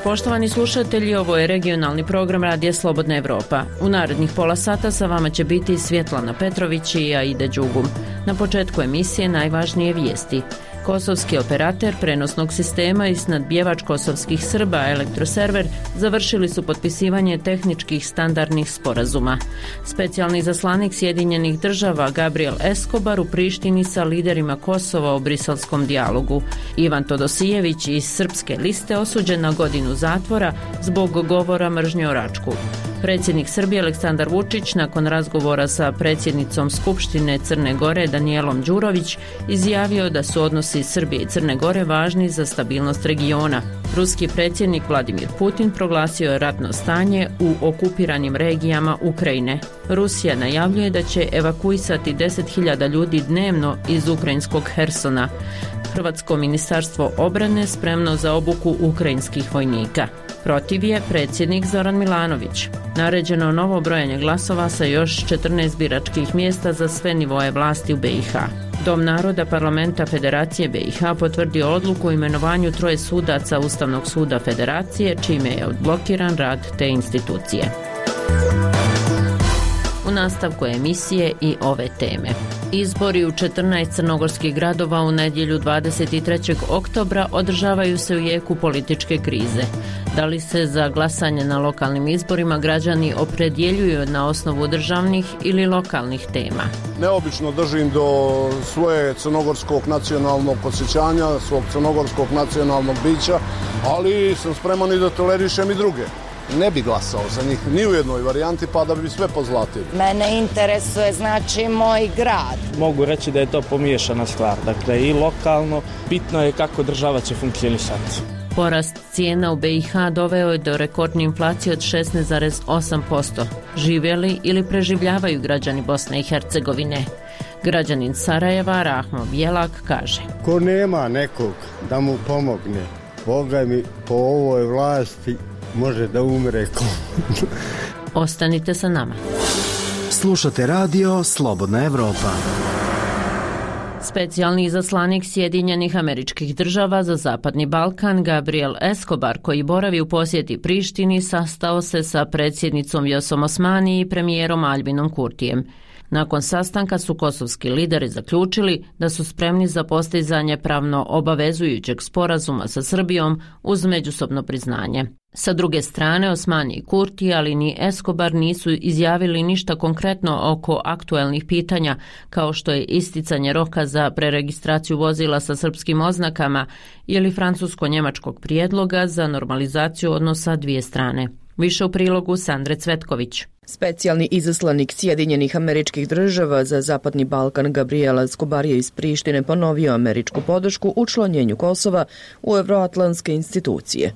Poštovani slušatelji, ovo je regionalni program Radija Slobodna Evropa. U narednih pola sata sa vama će biti Svjetlana Petrović i Aida Đugum. Na početku emisije najvažnije vijesti. Kosovski operater prenosnog sistema i snadbijevač kosovskih Srba Elektroserver završili su potpisivanje tehničkih standardnih sporazuma. Specijalni izaslanik Sjedinjenih država Gabriel Escobar u Prištini sa liderima Kosova o briselskom dijalogu. Ivan Todosijević iz Srpske liste osuđen na godinu zatvora zbog govora mržnje o Račku. Predsjednik Srbije Aleksandar Vučić nakon razgovora sa predsjednicom Skupštine Crne Gore Danijelom Đurović izjavio da su odnosi Srbije i Crne Gore važni za stabilnost regiona. Ruski predsjednik Vladimir Putin proglasio je ratno stanje u okupiranim regijama Ukrajine. Rusija najavljuje da će evakuisati 10.000 ljudi dnevno iz ukrajinskog Hersona. Hrvatsko ministarstvo obrane spremno za obuku ukrajinskih vojnika. Protiv je predsjednik Zoran Milanović. Naređeno novo brojanje glasova sa još 14 biračkih mjesta za sve nivoje vlasti u BiH. Dom naroda Parlamenta Federacije BiH potvrdio odluku o imenovanju 3 sudaca Ustavnog suda Federacije, čime je odblokiran rad te institucije. U nastavku emisije i ove teme. Izbori u 14 crnogorskih gradova u nedjelju 23. oktobra održavaju se u jeku političke krize. Da li se za glasanje na lokalnim izborima građani opredjeljuju na osnovu državnih ili lokalnih tema? Neobično držim do svoje crnogorskog nacionalnog osjećanja, svog crnogorskog nacionalnog bića, ali sam spreman i da tolerišem i druge. Ne bi glasao za njih ni u jednoj varijanti, pa da bi sve pozlatili. Mene interesuje znači moj grad. Mogu reći da je to pomiješana stvar, dakle i lokalno, bitno je kako država će funkcionisati. Porast cijena u BiH doveo je do rekordne inflacije od 16,8%. Žive li ili preživljavaju građani Bosne i Hercegovine? Građanin Sarajeva Rahmo Bjelak kaže: ko nema nekog da mu pomogne, Boga mi po ovoj vlasti može da umre. Ostanite sa nama. Slušate radio Slobodna Evropa. Specijalni izaslanik Sjedinjenih Američkih Država za Zapadni Balkan Gabriel Escobar, koji boravi u posjeti Prištini, sastao se sa predsjednicom Vjosom Osmani i premijerom Albinom Kurtijem. Nakon sastanka su kosovski lideri zaključili da su spremni za postizanje pravno obavezujućeg sporazuma sa Srbijom uz međusobno priznanje. Sa druge strane, Osmani i Kurti, ali ni Escobar nisu izjavili ništa konkretno oko aktuelnih pitanja, kao što je isticanje roka za preregistraciju vozila sa srpskim oznakama ili francusko-njemačkog prijedloga za normalizaciju odnosa dvije strane. Više u prilogu Sandre Cvetković. Specijalni izaslanik Sjedinjenih Američkih Država za Zapadni Balkan Gabriel Escobar je iz Prištine ponovio američku podršku učlanjenju Kosova u evroatlantske institucije.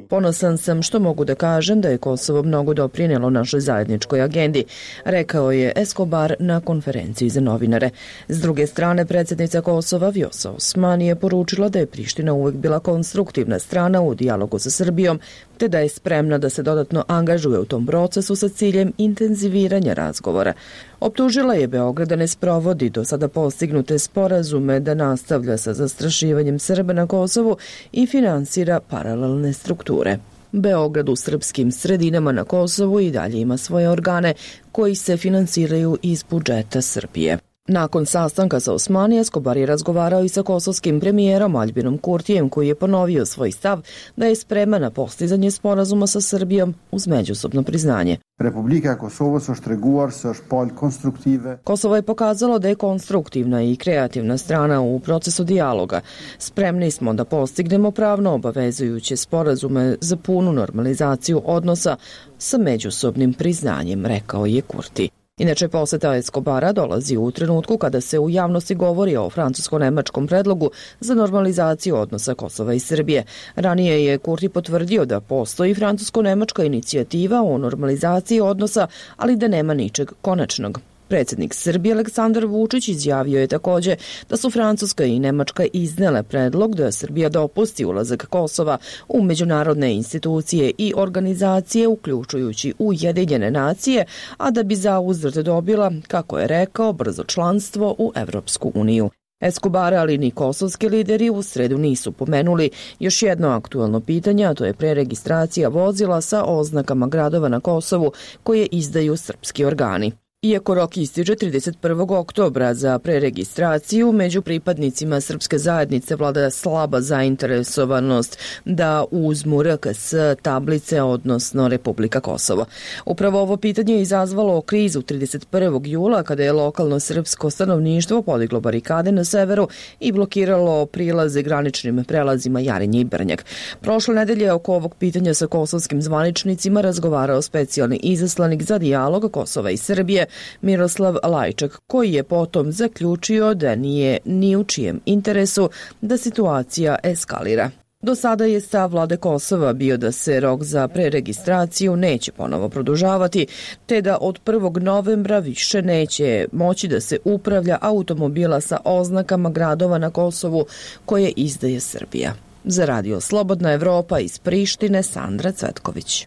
Ponosan sam što mogu da kažem da je Kosovo mnogo doprinijelo našoj zajedničkoj agendi, rekao je Escobar na konferenciji za novinare. S druge strane, predsjednica Kosova Vjosa Osmani je poručila da je Priština uvijek bila konstruktivna strana u dijalogu sa Srbijom, te da je spremna da se dodatno angažuje u tom procesu sa ciljem intenziviranja razgovora. Optužila je Beograd da ne sprovodi do sada postignute sporazume, da nastavlja sa zastrašivanjem Srba na Kosovu i finansira paralelne strukture. Beograd u srpskim sredinama na Kosovu i dalje ima svoje organe koji se finansiraju iz budžeta Srbije. Nakon sastanka sa Osmani, Escobar je razgovarao i sa kosovskim premijerom Albinom Kurtijem, koji je ponovio svoj stav da je spreman na postizanje sporazuma sa Srbijom uz međusobno priznanje. Republika Kosovo së shtreguar se është palë konstruktive. Kosovo je pokazalo da je konstruktivna i kreativna strana u procesu dijaloga. Spremni smo da postignemo pravno obavezujuće sporazume za punu normalizaciju odnosa sa međusobnim priznanjem, rekao je Kurti. Inače, posjeta Escobara dolazi u trenutku kada se u javnosti govori o francusko-nemačkom predlogu za normalizaciju odnosa Kosova i Srbije. Ranije je Kurti potvrdio da postoji francusko-nemačka inicijativa o normalizaciji odnosa, ali da nema ničeg konačnog. Predsjednik Srbije Aleksandar Vučić izjavio je također da su Francuska i Nemačka iznele predlog da Srbija dopusti ulazak Kosova u međunarodne institucije i organizacije, uključujući Ujedinjene nacije, a da bi zauzvrat dobila, kako je rekao, brzo članstvo u Evropsku uniju. Escobar, ali ni kosovski lideri u sredu nisu pomenuli još jedno aktuelno pitanje, a to je preregistracija vozila sa oznakama gradova na Kosovu koje izdaju srpski organi. Iako rok ističe 31. oktobra za preregistraciju, među pripadnicima srpske zajednice vlada slaba zainteresovanost da uzmu RKS tablice, odnosno Republika Kosovo. Upravo ovo pitanje je izazvalo krizu 31. jula kada je lokalno srpsko stanovništvo podiglo barikade na severu i blokiralo prilaze graničnim prelazima Jarinje i Brnjak. Prošle nedelje oko ovog pitanja sa kosovskim zvaničnicima razgovarao specijalni izaslanik za dijalog Kosova i Srbije Miroslav Lajčak, koji je potom zaključio da nije ni u čijem interesu da situacija eskalira. Do sada je stav vlade Kosova bio da se rok za preregistraciju neće ponovo produžavati, te da od 1. novembra više neće moći da se upravlja automobila sa oznakama gradova na Kosovu koje izdaje Srbija. Za Radio Slobodna Evropa iz Prištine, Sandra Cvetković.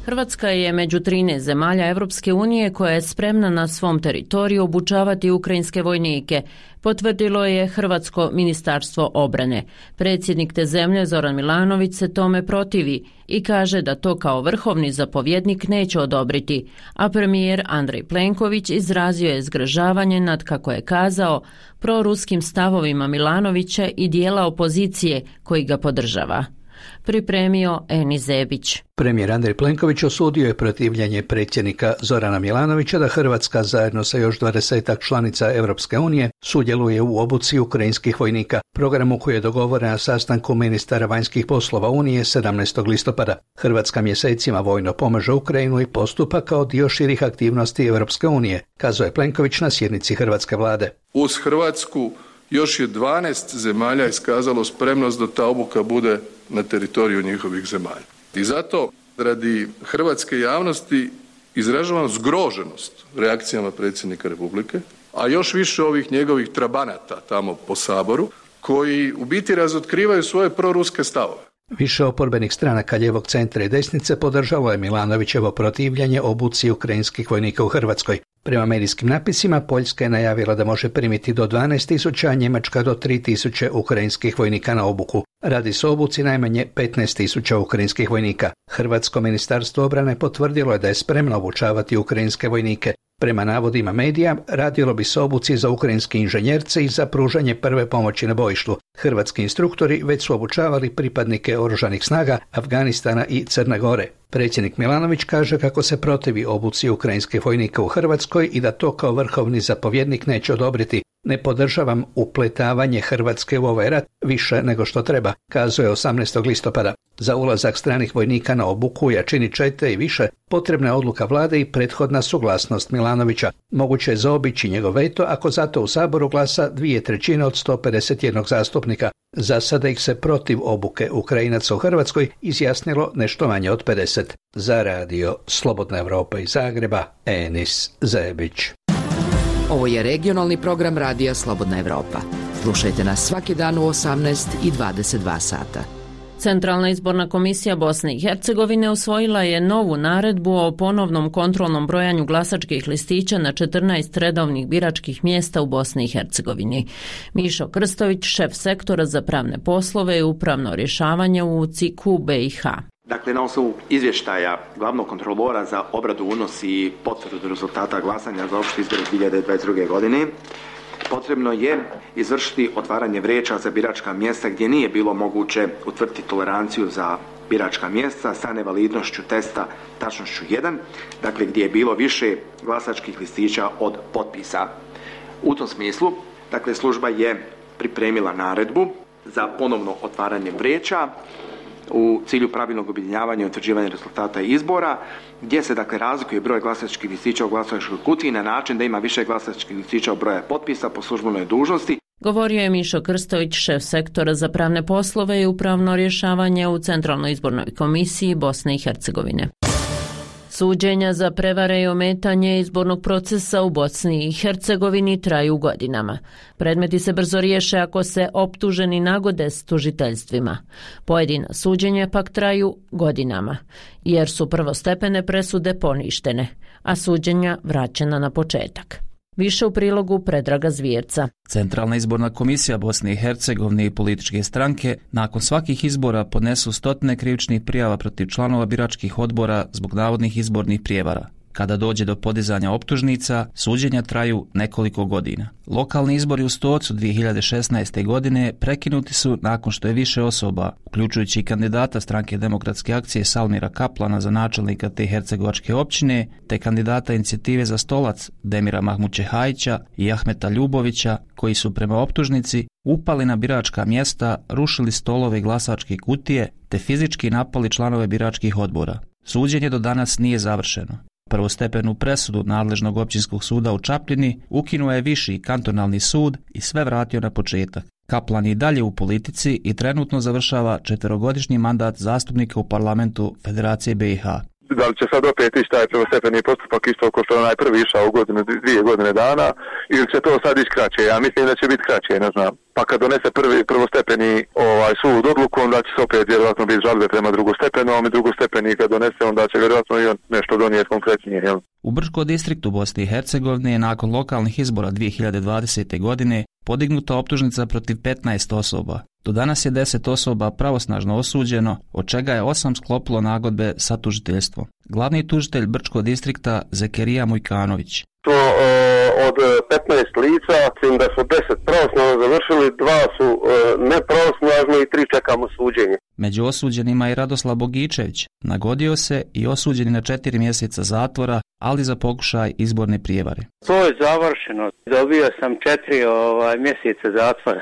Hrvatska je među 13 zemalja Evropske unije koja je spremna na svom teritoriju obučavati ukrajinske vojnike, potvrdilo je Hrvatsko ministarstvo obrane. Predsjednik te zemlje Zoran Milanović se tome protivi i kaže da to kao vrhovni zapovjednik neće odobriti, a premijer Andrej Plenković izrazio je zgražavanje nad, kako je kazao, proruskim stavovima Milanovića i dijela opozicije koji ga podržava. Pripremio Eni Zebić. Premijer Andrej Plenković osudio je protivljenje predsjednika Zorana Milanovića da Hrvatska zajedno sa još 20 članica Europske unije sudjeluje u obuci ukrajinskih vojnika, programu koji je dogovoren na sastanku ministara vanjskih poslova Unije 17. listopada. Hrvatska mjesecima vojno pomaže Ukrajinu i postupa kao dio širih aktivnosti Europske unije, kazao je Plenković na sjednici hrvatske vlade. Uz Hrvatsku još je 12 zemalja iskazalo spremnost da ta obuka bude na teritoriju njihovih zemalja. I zato, radi hrvatske javnosti, izražavam zgroženost reakcijama predsjednika Republike, a još više ovih njegovih trabanata tamo po Saboru, koji u biti razotkrivaju svoje proruske stavove. Više oporbenih stranaka lijevog centra i desnice podržalo je Milanovićevo protivljenje obuci ukrajinskih vojnika u Hrvatskoj. Prema medijskim napisima, Poljska je najavila da može primiti do 12.000, a Njemačka do 3.000 ukrajinskih vojnika na obuku. Radi se o obuci najmanje 15.000 ukrajinskih vojnika. Hrvatsko ministarstvo obrane potvrdilo je da je spremno obučavati ukrajinske vojnike. Prema navodima medija, radilo bi se o obuci za ukrajinske inženjerce i za pružanje prve pomoći na bojištu. Hrvatski instruktori već su obučavali pripadnike oružanih snaga Afganistana i Crne Gore. Predsjednik Milanović kaže kako se protivi obuci ukrajinskih vojnika u Hrvatskoj i da to kao vrhovni zapovjednik neće odobriti. Ne podržavam upletavanje Hrvatske u ovaj rat više nego što treba, kazao je 18. listopada. Za ulazak stranih vojnika na obuku u jačini 4 i više potrebna je odluka vlade i prethodna suglasnost Milanovića. Moguće je zaobići njegov veto ako zato u Saboru glasa 2/3 od 151 zastupnika. Za sada ih se protiv obuke Ukrajinaca u Hrvatskoj izjasnilo nešto manje od 50. Za Radio Slobodna Evropa iz Zagreba, Enis Zebić. Ovo je regionalni program Radija Slobodna Evropa. Slušajte nas svaki dan u 18 i 22 sata. Centralna izborna komisija Bosne i Hercegovine usvojila je novu naredbu o ponovnom kontrolnom brojanju glasačkih listića na 14 redovnih biračkih mjesta u Bosni i Hercegovini. Mišo Krstović, šef sektora za pravne poslove i upravno rješavanje u CIK-u BiH. Dakle, na osnovu izvještaja glavnog kontrolora za obradu, unos i potvrdu rezultata glasanja za opšte izbore 2022. godine, potrebno je izvršiti otvaranje vreća za biračka mjesta gdje nije bilo moguće utvrditi toleranciju za biračka mjesta sa nevalidnošću testa tačnošću 1, dakle gdje je bilo više glasačkih listića od potpisa. U tom smislu, dakle, služba je pripremila naredbu za ponovno otvaranje vreća u cilju pravilnog objedinjavanja i utvrđivanja rezultata izbora, gdje se dakle razlikuje broj glasačkih listića u glasačkoj kutiji na način da ima više glasačkih listića od broja potpisa po službenoj dužnosti. Govorio je Mišo Krstović, šef sektora za pravne poslove i upravno rješavanje u Centralnoj izbornoj komisiji Bosne i Hercegovine. Suđenja za prevare i ometanje izbornog procesa u Bosni i Hercegovini traju godinama. Predmeti se brzo riješe ako se optuženi nagode s tužiteljstvima. Pojedina suđenja pak traju godinama, jer su prvostepene presude poništene, a suđenja vraćena na početak. Više u prilogu Predraga Zvjerca. Centralna izborna komisija Bosne i Hercegovine i političke stranke nakon svakih izbora podnesu stotine krivičnih prijava protiv članova biračkih odbora zbog navodnih izbornih prijevara. Kada dođe do podizanja optužnica, suđenja traju nekoliko godina. Lokalni izbori u Stocu 2016. godine prekinuti su nakon što je više osoba, uključujući i kandidata Stranke demokratske akcije Salmira Kaplana za načelnika te hercegovačke općine, te kandidata Inicijative za stolac Demira Mahmućehajića i Ahmeta Ljubovića, koji su prema optužnici upali na biračka mjesta, rušili stolove i glasačke kutije, te fizički napali članove biračkih odbora. Suđenje do danas nije završeno. Prvostepenu presudu nadležnog općinskog suda u Čapljini ukinuo je viši kantonalni sud i sve vratio na početak. Kaplan je dalje u politici i trenutno završava 4-godišnji mandat zastupnika u parlamentu Federacije BiH. Da li će sad opet ići taj prvostepeni postupak isto kao što je onaj prvi išao u 2 godine dana, ili će to sad ići kraće? Ja mislim da će biti kraće, ne znam. Pa kad donese prvostepeni sud odluku, onda će se opet vjerojatno biti žalbe prema drugostepenom i drugostepeni kad donese, onda će vjerojatno i on nešto donijeti konkretnije. Jel? U Brčko distriktu Bosne i Hercegovine je nakon lokalnih izbora 2020. godine podignuta optužnica protiv 15 osoba. Do danas je 10 osoba pravosnažno osuđeno, od čega je 8 sklopilo nagodbe sa tužiteljstvom. Glavni tužitelj Brčko distrikta Zekerija Mujkanović. To od 15 lica, da su 10 pravosnažno završili, 2 su nepravosnažno i 3 čekamo suđenje. Među osuđenima je Radoslav Bogičević. Nagodio se i osuđen na 4 mjeseca zatvora, ali za pokušaj izborne prijevare. To je završeno. Dobio sam 4 mjeseca zatvora.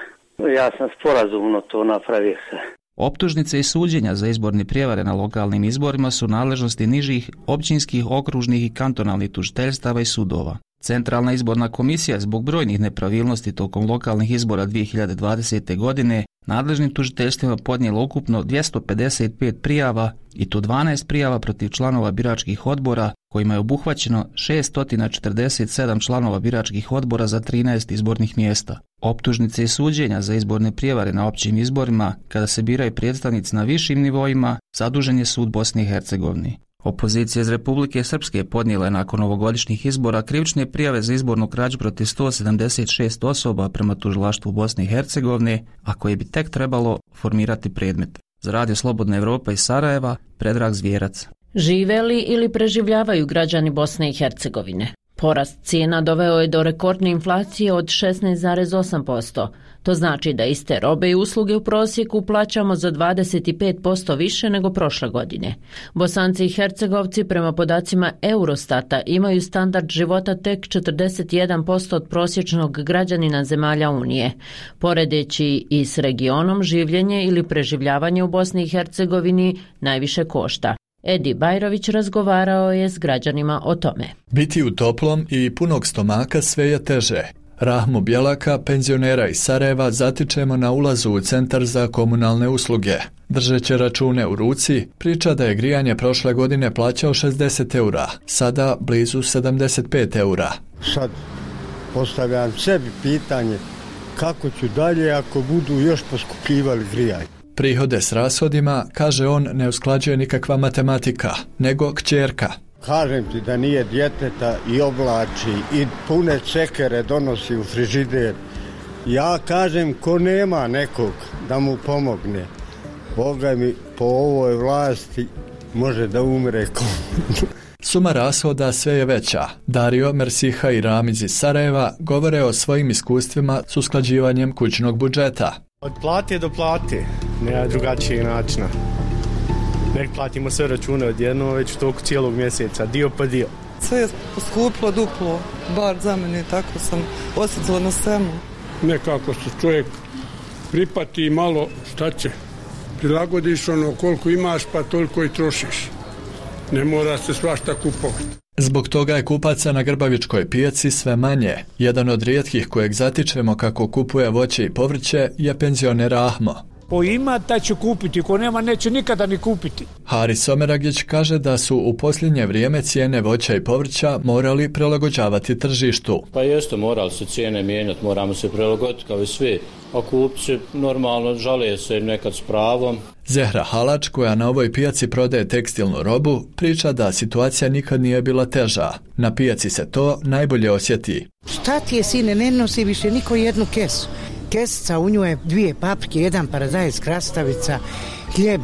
Ja sam sporazumno to napravio se. Optužnice i suđenja za izborne prijevare na lokalnim izborima su nadležnosti nižih općinskih, okružnih i kantonalnih tužiteljstava i sudova. Centralna izborna komisija zbog brojnih nepravilnosti tokom lokalnih izbora 2020. godine nadležnim tužiteljstvima podnijela ukupno 255 prijava i to 12 prijava protiv članova biračkih odbora, kojima je obuhvaćeno 647 članova biračkih odbora za 13 izbornih mjesta. Optužnice i suđenja za izborne prijevare na općim izborima, kada se biraju predstavnici na višim nivoima, zadužen je sud Bosne i Hercegovine. Opozicija iz Republike Srpske podnijela je nakon ovogodišnjih izbora krivične prijave za izbornu krađu protiv 176 osoba prema tužilaštvu Bosne i Hercegovine, a koje bi tek trebalo formirati predmet. Za Radio Slobodna Evropa iz Sarajeva, Predrag Zvjerac. Žive li ili preživljavaju građani Bosne i Hercegovine? Porast cijena doveo je do rekordne inflacije od 16,8%. To znači da iste robe i usluge u prosjeku plaćamo za 25% više nego prošle godine. Bosanci i Hercegovci prema podacima Eurostata imaju standard života tek 41% od prosječnog građanina zemalja Unije. Poredeći i s regionom, življenje ili preživljavanje u Bosni i Hercegovini najviše košta. Edi Bajrović razgovarao je s građanima o tome. Biti u toplom i punog stomaka sve je teže. Rahmu Bjelaka, penzionera iz Sarajeva, zatičemo na ulazu u centar za komunalne usluge. Držeći račune u ruci, priča da je grijanje prošle godine plaćao 60 eura, sada blizu 75 eura. Sad postavljam sebi pitanje kako ću dalje ako budu još poskupljivali grijanje. Prihode s rashodima, kaže on, ne usklađuje nikakva matematika, nego kćerka. Kažem ti da nije djeteta i oblači i pune cekere donosi u frižider. Ja kažem ko nema nekog da mu pomogne. Boga mi po ovoj vlasti može da umre ko. Suma rashoda sve je veća. Dario, Mersiha i Ramiz iz Sarajeva govore o svojim iskustvima s usklađivanjem kućnog budžeta. Od plate do plate, nema drugačijeg načina. Nek platimo sve račune odjedno, već u toku cijelog mjeseca, dio po dio. Sve je poskuplo duplo, bar za mene, tako sam osjetila na svemu. Nekako se čovjek pripati malo, šta će, prilagodiš koliko imaš pa toliko i trošiš. Ne mora se svašta kupovati. Zbog toga je kupaca na Grbavičkoj pijaci sve manje. Jedan od rijetkih kojeg zatičemo kako kupuje voće i povrće je penzioner Ahmo. Ko ima, ta će kupiti, ko nema, neće nikada ni kupiti. Haris Someragić kaže da su u posljednje vrijeme cijene voća i povrća morali prilagođavati tržištu. Pa jeste, morali se cijene mijenjati, moramo se prilagoditi kao i svi. A kupci normalno žale se nekad s pravom. Zehra Halač, koja na ovoj pijaci prodaje tekstilnu robu, priča da situacija nikad nije bila teža. Na pijaci se to najbolje osjeti. Šta ti je, sine, ne nosi više niko jednu kesu. Kesica, u nju je 2 paprike, 1 paradajz, krastavica, hljeb,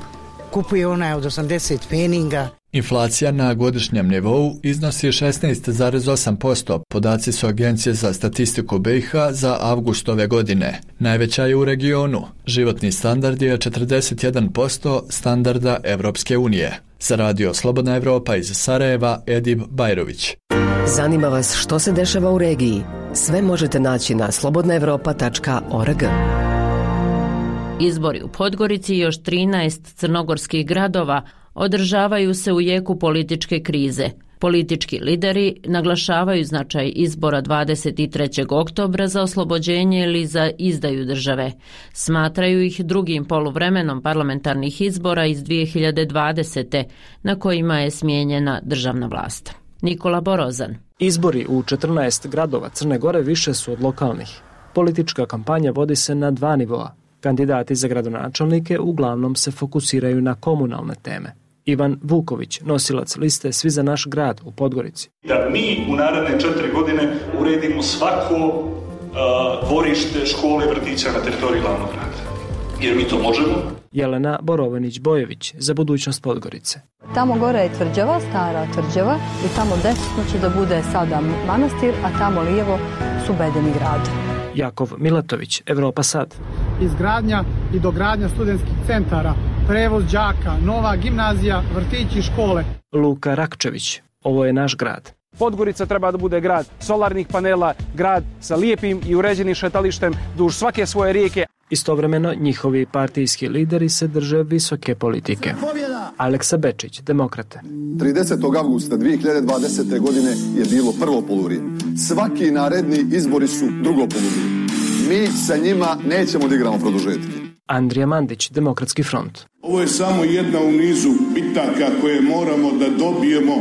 kupuje onaj od 80 pfeninga. Inflacija na godišnjem nivou iznosi 16,8%, podaci su Agencije za statistiku BiH za avgust ove godine. Najveća je u regionu. Životni standard je 41% standarda Evropske unije. Za Radio Slobodna Evropa iz Sarajeva, Edib Bajrović. Zanima vas što se dešava u regiji? Sve možete naći na slobodnaevropa.org. Izbori u Podgorici i još 13 crnogorskih gradova održavaju se u jeku političke krize. Politički lideri naglašavaju značaj izbora 23. oktobra za oslobođenje ili za izdaju države. Smatraju ih drugim poluvremenom parlamentarnih izbora iz 2020. na kojima je smijenjena državna vlast. Nikola Borozan. Izbori u 14 gradova Crne Gore više su od lokalnih. Politička kampanja vodi se na 2 nivoa. Kandidati za gradonačelnike uglavnom se fokusiraju na komunalne teme. Ivan Vuković, nosilac liste Svi za naš grad u Podgorici. Da mi u naredne 4 godine uredimo svako dvorište, škole, vrtića na teritoriji glavnog grada. Jer mi to možemo. Jelena Borovanić-Bojević, za budućnost Podgorice. Tamo gore je tvrđava, stara tvrđava, i tamo desno će da bude sada manastir, a tamo lijevo su bedeni grad. Jakov Milatović, Evropa sad. Izgradnja i dogradnja studentskih centara, prevoz đaka, nova gimnazija, vrtići, škole. Luka Rakčević, ovo je naš grad. Podgorica treba da bude grad solarnih panela, grad sa lijepim i uređenim šetalištem duž svake svoje rijeke. Istovremeno njihovi partijski lideri se drže visoke politike. Aleksa Bečić, Demokrate. 30. avgusta 2020. godine je bilo prvo poluvrijeme. Svaki naredni izbori su drugo poluvrijeme. Mi sa njima nećemo da igramo produžetke. Andrija Mandić, Demokratski front. Ovo je samo jedna u nizu bitaka koje moramo da dobijemo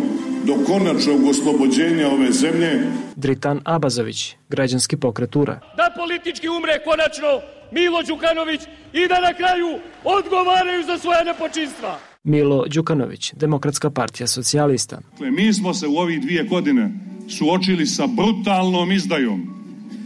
do konačnog oslobođenja ove zemlje. Dritan Abazović, Građanski pokret URA. Da politički umre konačno Milo Đukanović i da na kraju odgovaraju za svoje nepočinstva. Milo Đukanović, Demokratska partija socijalista. Mi smo se u ovih 2 godine suočili sa brutalnom izdajom,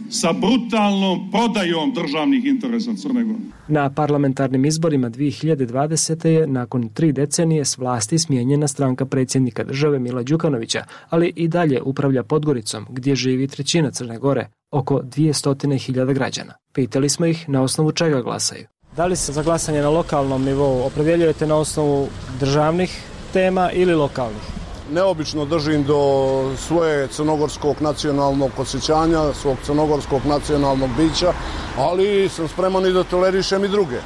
sa brutalnom prodajom državnih interesa Crne Gore. Na parlamentarnim izborima 2020. je nakon 3 decenije s vlasti smijenjena stranka predsjednika države Mila Đukanovića, ali i dalje upravlja Podgoricom, gdje živi 1/3 Crne Gore, oko 200.000 građana. Pitali smo ih na osnovu čega glasaju. Da li se za glasanje na lokalnom nivou opredjeljujete na osnovu državnih tema ili lokalnih? Neobično držim do svoje crnogorskog nacionalnog osjećanja, svog crnogorskog nacionalnog bića, ali sam spreman i da tolerišem i druge.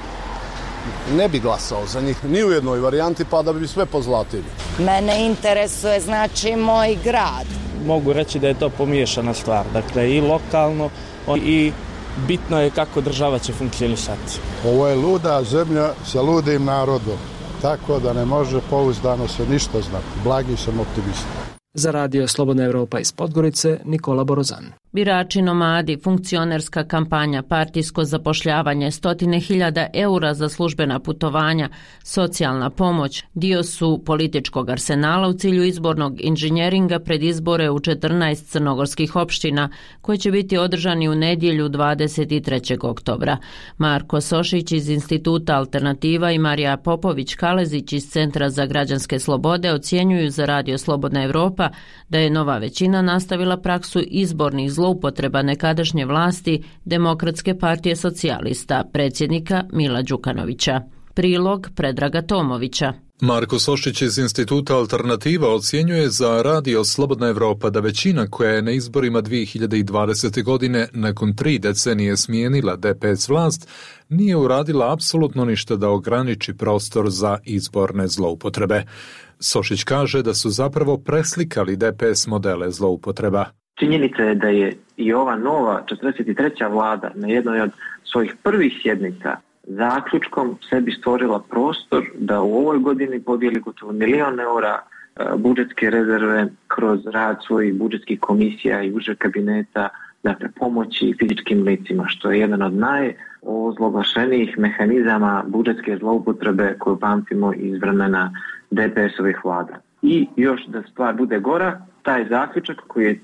Ne bi glasao za njih ni u jednoj varijanti, pa da bi sve pozlatili. Mene interesuje znači moj grad. Mogu reći da je to pomiješana stvar, dakle i lokalno i bitno je kako država će funkcionisati. Ovo je luda zemlja sa ludim narodom, tako da ne može pouzdano se ništa znati. Blagi sam optimista. Za Radio Slobodna Evropa iz Podgorice, Nikola Borozan. Birači nomadi, funkcionerska kampanja, partijsko zapošljavanje, 100.000 eura za službena putovanja, socijalna pomoć dio su političkog arsenala u cilju izbornog inženjeringa pred izbore u 14 crnogorskih opština koji će biti održani u nedjelju 23. oktobra. Marko Sošić iz Instituta Alternativa i Marija Popović-Kalezić iz Centra za građanske slobode ocjenjuju za Radio Slobodna Evropa da je nova većina nastavila praksu izbornih zloupotreba nekadašnje vlasti Demokratske partije socijalista, predsjednika Mila Đukanovića. Prilog Predraga Tomovića. Marko Sošić iz Instituta Alternativa ocjenjuje za Radio Slobodna Evropa da većina koja je na izborima 2020. godine nakon 3 decenije smijenila DPS vlast nije uradila apsolutno ništa da ograniči prostor za izborne zloupotrebe. Sošić kaže da su zapravo preslikali DPS modele zloupotreba. Činjenica je da je i ova nova 43. vlada na jednoj od svojih prvih sjednica zaključkom sebi stvorila prostor da u ovoj godini podijeli gotovo €1 milion budžetske rezerve kroz rad svojih budžetskih komisija i užeg kabineta, dakle pomoći fizičkim licima, što je jedan od najozloglašenijih mehanizama budžetske zloupotrebe koju pamtimo iz vremena DPS-ovih vlada. I još da stvar bude gora, taj zaključak koji je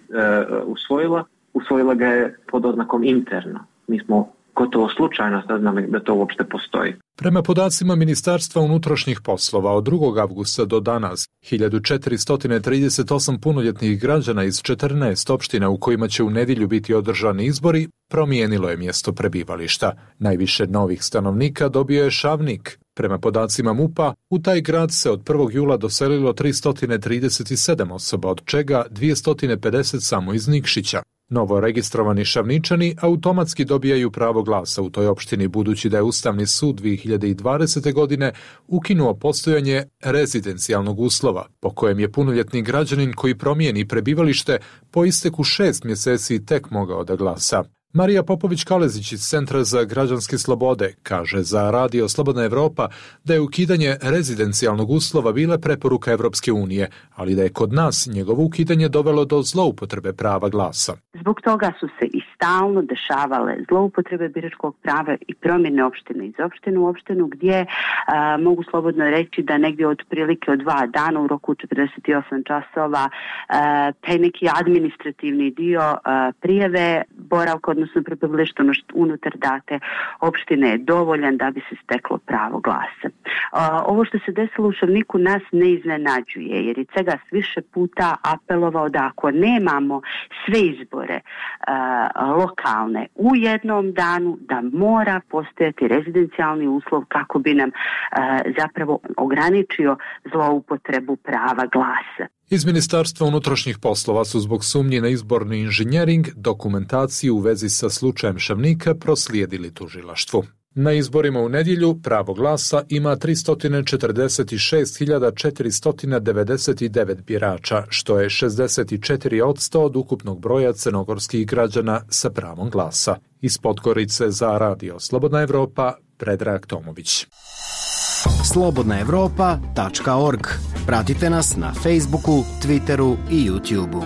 usvojila ga je pod oznakom interno. Mi smo gotovo slučajno saznali da to uopšte postoji. Prema podacima Ministarstva unutrašnjih poslova od 2. avgusta do danas, 1438 punoljetnih građana iz 14 opština u kojima će u nedjelju biti održani izbori promijenilo je mjesto prebivališta. Najviše novih stanovnika dobio je Šavnik. Prema podacima MUP-a, u taj grad se od 1. jula doselilo 337 osoba, od čega 250 samo iz Nikšića. Novo registrovani Šavničani automatski dobijaju pravo glasa u toj opštini, budući da je Ustavni sud 2020. godine ukinuo postojanje rezidencijalnog uslova, po kojem je punoljetni građanin koji promijeni prebivalište po isteku 6 mjeseci tek mogao da glasa. Marija Popović-Kalezić iz Centra za građanske slobode kaže za Radio Slobodna Evropa da je ukidanje rezidencijalnog uslova bila preporuka Evropske unije, ali da je kod nas njegovo ukidanje dovelo do zloupotrebe prava glasa. Zbog toga su se i stalno dešavale zloupotrebe biračkog prava i promjene opštine iz opštine u opštinu, gdje mogu slobodno reći da negdje otprilike od 2 dana u roku 48 časova taj neki administrativni dio prijave boravka, odnosno prebivališta unutar date opštine je dovoljan da bi se steklo pravo glasa. Ovo što se desilo u Šavniku nas ne iznenađuje, jer je Cegas više puta apelovao da ako nemamo sve izbore lokalne u jednom danu, da mora postojati rezidencijalni uslov kako bi nam zapravo ograničio zloupotrebu prava glasa. Iz Ministarstva unutrašnjih poslova su zbog sumnji na izborni inženjering dokumentaciju u vezi sa slučajem Šavnika proslijedili tužilaštvu. Na izborima u nedjelju pravo glasa ima 346.499 birača, što je 64% od ukupnog broja crnogorskih građana sa pravom glasa. Iz Podgorice za Radio Slobodna Evropa, Predrag Tomović. slobodnaevropa.org. Pratite nas na Facebooku, Twitteru i YouTubeu.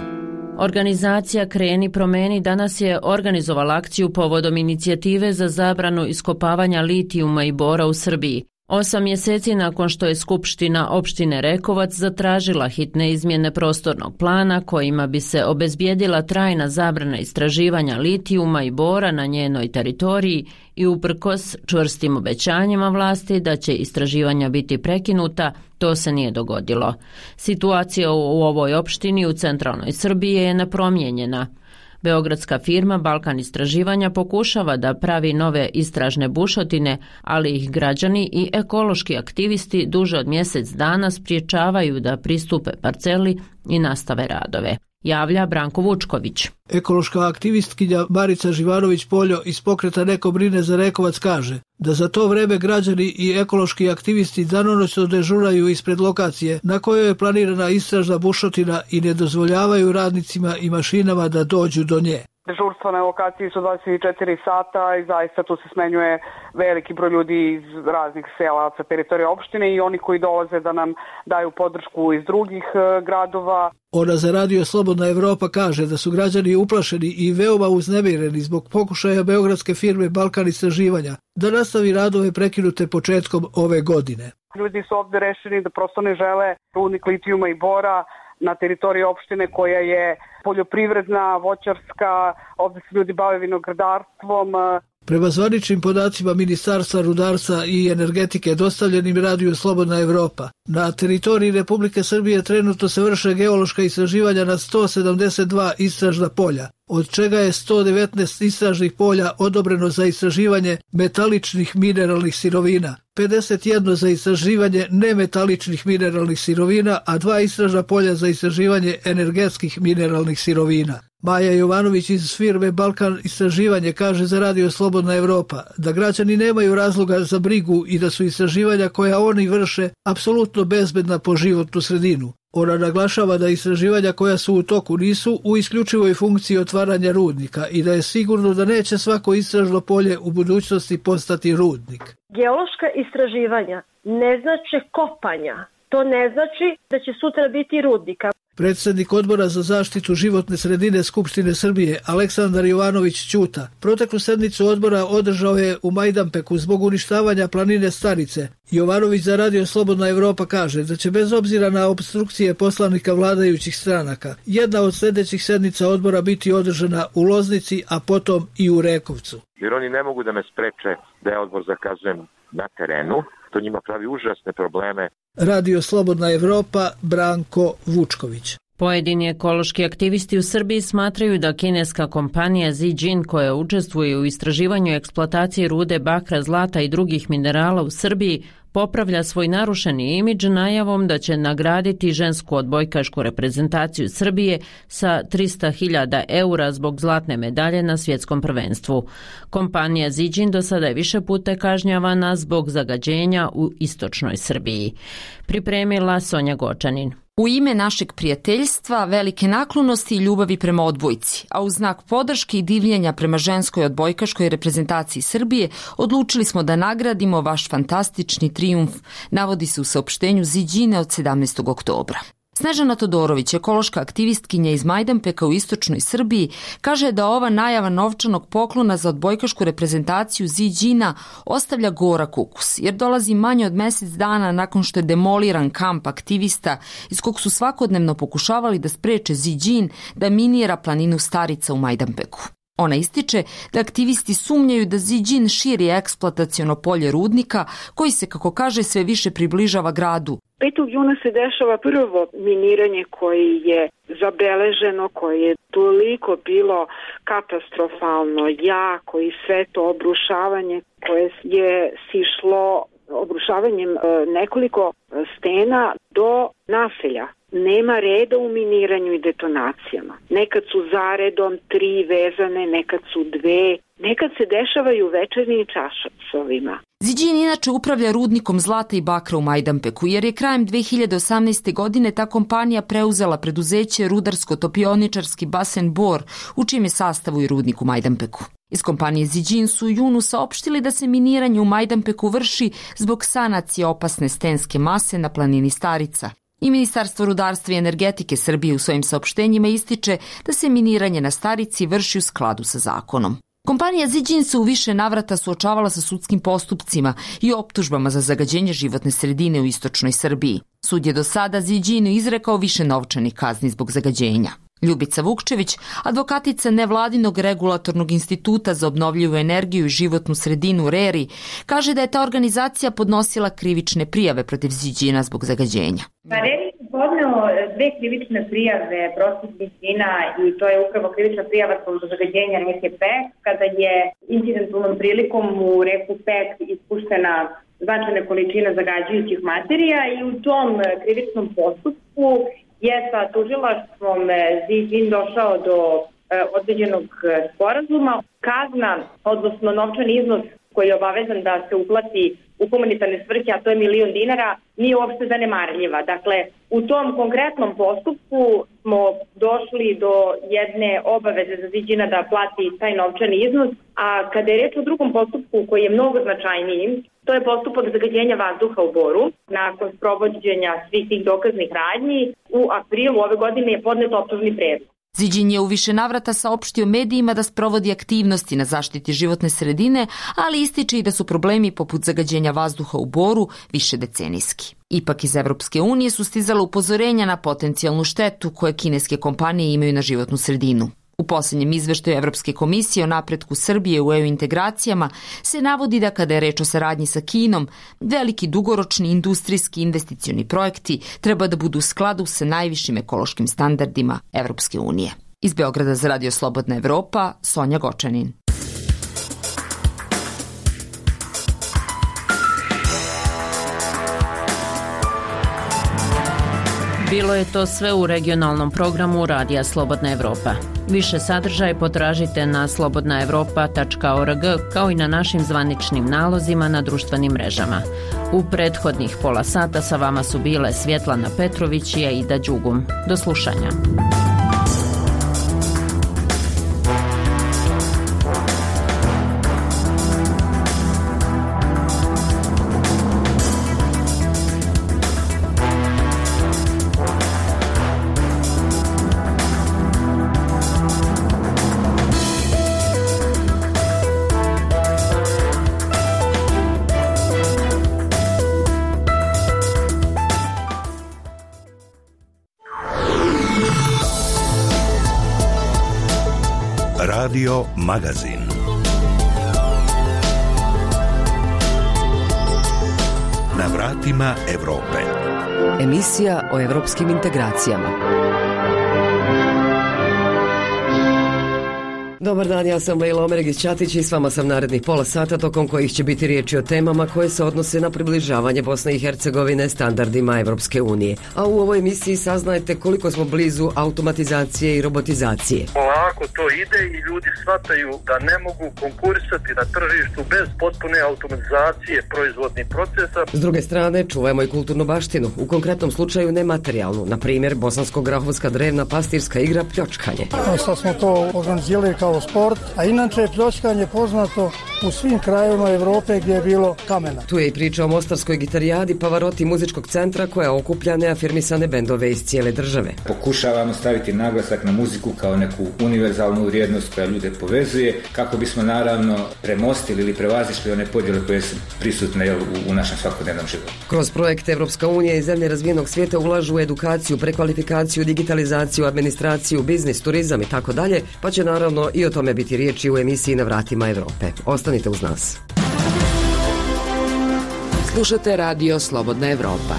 Organizacija Kreni promeni danas je organizovala akciju povodom inicijative za zabranu iskopavanja litijuma i bora u Srbiji. 8 mjeseci nakon što je Skupština opštine Rekovac zatražila hitne izmjene prostornog plana kojima bi se obezbijedila trajna zabrana istraživanja litijuma i bora na njenoj teritoriji i uprkos čvrstim obećanjima vlasti da će istraživanja biti prekinuta, to se nije dogodilo. Situacija u ovoj opštini u centralnoj Srbiji je nepromijenjena. Beogradska firma Balkan istraživanja pokušava da pravi nove istražne bušotine, ali ih građani i ekološki aktivisti duže od mjesec dana spriječavaju da pristupe parceli i nastave radove. Javlja Branko Vučković. Ekološka aktivistkinja Marica Živanović-Poljo iz pokreta Neko brine za Rekovac kaže da za to vreme građani i ekološki aktivisti danonoćno dežuraju ispred lokacije na kojoj je planirana istražna bušotina i ne dozvoljavaju radnicima i mašinama da dođu do nje. Dežurstva na lokaciji su 24 sata i zaista tu se smenjuje veliki broj ljudi iz raznih sela sa teritorije opštine i oni koji dolaze da nam daju podršku iz drugih gradova. Ona za Radio Slobodna Evropa kaže da su građani uplašeni i veoma uznemireni zbog pokušaja beogradske firme Balkan istraživanja da nastavi radove prekinute početkom ove godine. Ljudi su ovdje rešeni da prosto ne žele rudnik litijuma i bora na teritoriji opštine koja je poljoprivredna, voćarska, ovdje se ljudi bave vinogradarstvom. Prema zvaničnim podacima Ministarstva rudarstva i energetike dostavljenim Radio Slobodna Evropa, na teritoriji Republike Srbije trenutno se vrše geološka istraživanja na 172 istražna polja, od čega je 119 istražnih polja odobreno za istraživanje metaličnih mineralnih sirovina, 51 za istraživanje nemetaličnih mineralnih sirovina, a 2 istražna polja za istraživanje energetskih mineralnih sirovina. Maja Jovanović iz firme Balkan istraživanje kaže za Radio Slobodna Evropa da građani nemaju razloga za brigu i da su istraživanja koja oni vrše apsolutno bezbedna po životnu sredinu. Ona naglašava da istraživanja koja su u toku nisu u isključivoj funkciji otvaranja rudnika i da je sigurno da neće svako istražno polje u budućnosti postati rudnik. Geološka istraživanja ne znači kopanja. To ne znači da će sutra biti rudnika. Predsjednik Odbora za zaštitu životne sredine Skupštine Srbije Aleksandar Jovanović Ćuta proteklu sednicu odbora održao je u Majdanpeku zbog uništavanja planine Starice. Jovanović za Radio Slobodna Evropa kaže da će bez obzira na opstrukcije poslanika vladajućih stranaka jedna od sljedećih sednica odbora biti održana u Loznici, a potom i u Rekovcu. Jer oni ne mogu da me spreče da ja odbor zakazujem na terenu. To njima pravi užasne probleme. Radio Slobodna Evropa, Branko Vučković. Pojedini ekološki aktivisti u Srbiji smatraju da kineska kompanija Zijin, koja učestvuje u istraživanju i eksploataciji rude bakra, zlata i drugih minerala u Srbiji, popravlja svoj narušeni imidž najavom da će nagraditi žensku odbojkašku reprezentaciju Srbije sa 300.000 eura zbog zlatne medalje na svjetskom prvenstvu. Kompanija Zijin do sada je više puta kažnjavana zbog zagađenja u istočnoj Srbiji. Pripremila Sonja Gočanin. U ime našeg prijateljstva, velike naklonosti i ljubavi prema odbojci, a u znak podrške i divljenja prema ženskoj odbojkaškoj reprezentaciji Srbije, odlučili smo da nagradimo vaš fantastični trijumf, navodi se u saopštenju Zijina od 17. oktobra. Snežana Todorović, ekološka aktivistkinja iz Majdanpeka u istočnoj Srbiji, kaže da ova najava novčanog poklona za odbojkašku reprezentaciju Zijina ostavlja gorak ukus, jer dolazi manje od mjesec dana nakon što je demoliran kamp aktivista iz kog su svakodnevno pokušavali da spreče Zijin da minira planinu Starica u Majdanpeku. Ona ističe da aktivisti sumnjaju da Zijin širi eksploataciono polje rudnika koji se, kako kaže, sve više približava gradu. 5. juna se dešava prvo miniranje koje je zabeleženo, koje je toliko bilo katastrofalno jako i sve to obrušavanje koje je sišlo obrušavanjem nekoliko stena do naselja. Nema reda u miniranju i detonacijama. Nekad su zaredom 3 vezane, nekad su 2, nekad se dešavaju večernjim časovima. Zijin inače upravlja rudnikom zlata i bakra u Majdanpeku, jer je krajem 2018. godine ta kompanija preuzela preduzeće rudarsko-topioničarski basen Bor, u čijem je sastavu i rudnik u Majdanpeku. Iz kompanije Zijin su u junu saopštili da se miniranje u Majdanpeku vrši zbog sanacije opasne stenske mase na planini Starica. I Ministarstvo rudarstva i energetike Srbije u svojim saopštenjima ističe da se miniranje na Starici vrši u skladu sa zakonom. Kompanija Zijin se u više navrata suočavala sa sudskim postupcima i optužbama za zagađenje životne sredine u istočnoj Srbiji. Sud je do sada Zijinu izrekao više novčanih kazni zbog zagađenja. Ljubica Vukčević, advokatica nevladinog regulatornog instituta za obnovljivu energiju i životnu sredinu RERI, kaže da je ta organizacija podnosila krivične prijave protiv Zijina zbog zagađenja. RERI je podneo 2 krivične prijave protiv Zijina i to je upravo krivična prijava zbog zagađenja reke Pek, kada je incidentalnom prilikom u reku Pek ispuštena značajna količina zagađujućih materija i u tom krivičnom postupku je sa tužilaštvom Zijin došao do određenog sporazuma. Kazna, odnosno novčani iznos koji je obavezan da se uplati u humanitarne svrhe, a to je $1.000.000, nije uopšte zanemarljiva. Dakle, u tom konkretnom postupku smo došli do jedne obaveze za Zijina da plati taj novčani iznos, a kada je reč o drugom postupku koji je mnogo značajniji, to je postupak zagađenja vazduha u Boru. Nakon sprovođenja svih tih dokaznih radnji, u aprilu ove godine je podnet optužni predlog. Zijin je u više navrata saopštio medijima da sprovodi aktivnosti na zaštiti životne sredine, ali ističe i da su problemi poput zagađenja vazduha u Boru višedecenijski. Ipak iz Evropske unije su stizala upozorenja na potencijalnu štetu koje kineske kompanije imaju na životnu sredinu. U posljednjem izveštaju Evropske komisije o napretku Srbije u EU integracijama se navodi da kada je reč o saradnji sa Kinom, veliki dugoročni industrijski investicioni projekti treba da budu u skladu sa najvišim ekološkim standardima Evropske unije. Iz Beograda za Radio Slobodna Evropa, Sonja Gočanin. Bilo je to sve u regionalnom programu Radija Slobodna Evropa. Više sadržaja potražite na slobodnaevropa.org kao i na našim zvaničnim nalozima na društvenim mrežama. U prethodnih pola sata sa vama su bile Svjetlana Petrović i Aida Đugum. Do slušanja. Radio Magazin. Na vratima Evrope. Emisija o evropskim integracijama. Dobar dan, ja sam Lejla Omeregić-Ćatić i s vama sam narednih pola sata tokom kojih će biti riječi o temama koje se odnose na približavanje Bosne i Hercegovine standardima Evropske unije. A u ovoj emisiji saznajete koliko smo blizu automatizacije i robotizacije. Polako to ide i ljudi shvataju da ne mogu konkurisati na tržištu bez potpune automatizacije proizvodnih procesa. S druge strane, čuvajmo i kulturnu baštinu, u konkretnom slučaju nematerijalnu, na primjer bosansko-grahovska drevna pastirska igra pljočkanje. Sad smo to organizirali kao sport, a inače je pljočkanje poznato u svim krajevima Evrope gdje je bilo kamena. Tu je i priča o mostarskoj gitarijadi Pavarotti muzičkog centra koja okuplja neafirmisane bendove iz cijele države. Pokušavamo staviti naglasak na muziku kao neku univerzalnu vrijednost koja ljude povezuje, kako bismo naravno premostili ili prevazišli one podjele koje su prisutne u našem svakodnevnom životu. Kroz projekt Evropska unija i zemlje razvijenog svijeta ulažu u edukaciju, prekvalifikaciju, digitalizaciju, administraciju, biznis, turizam i tako dalje, pa će naravno i o tome biti riječi u emisiji Na vratima Evrope. Ostanite uz nas. Slušate Radio Slobodna Evropa.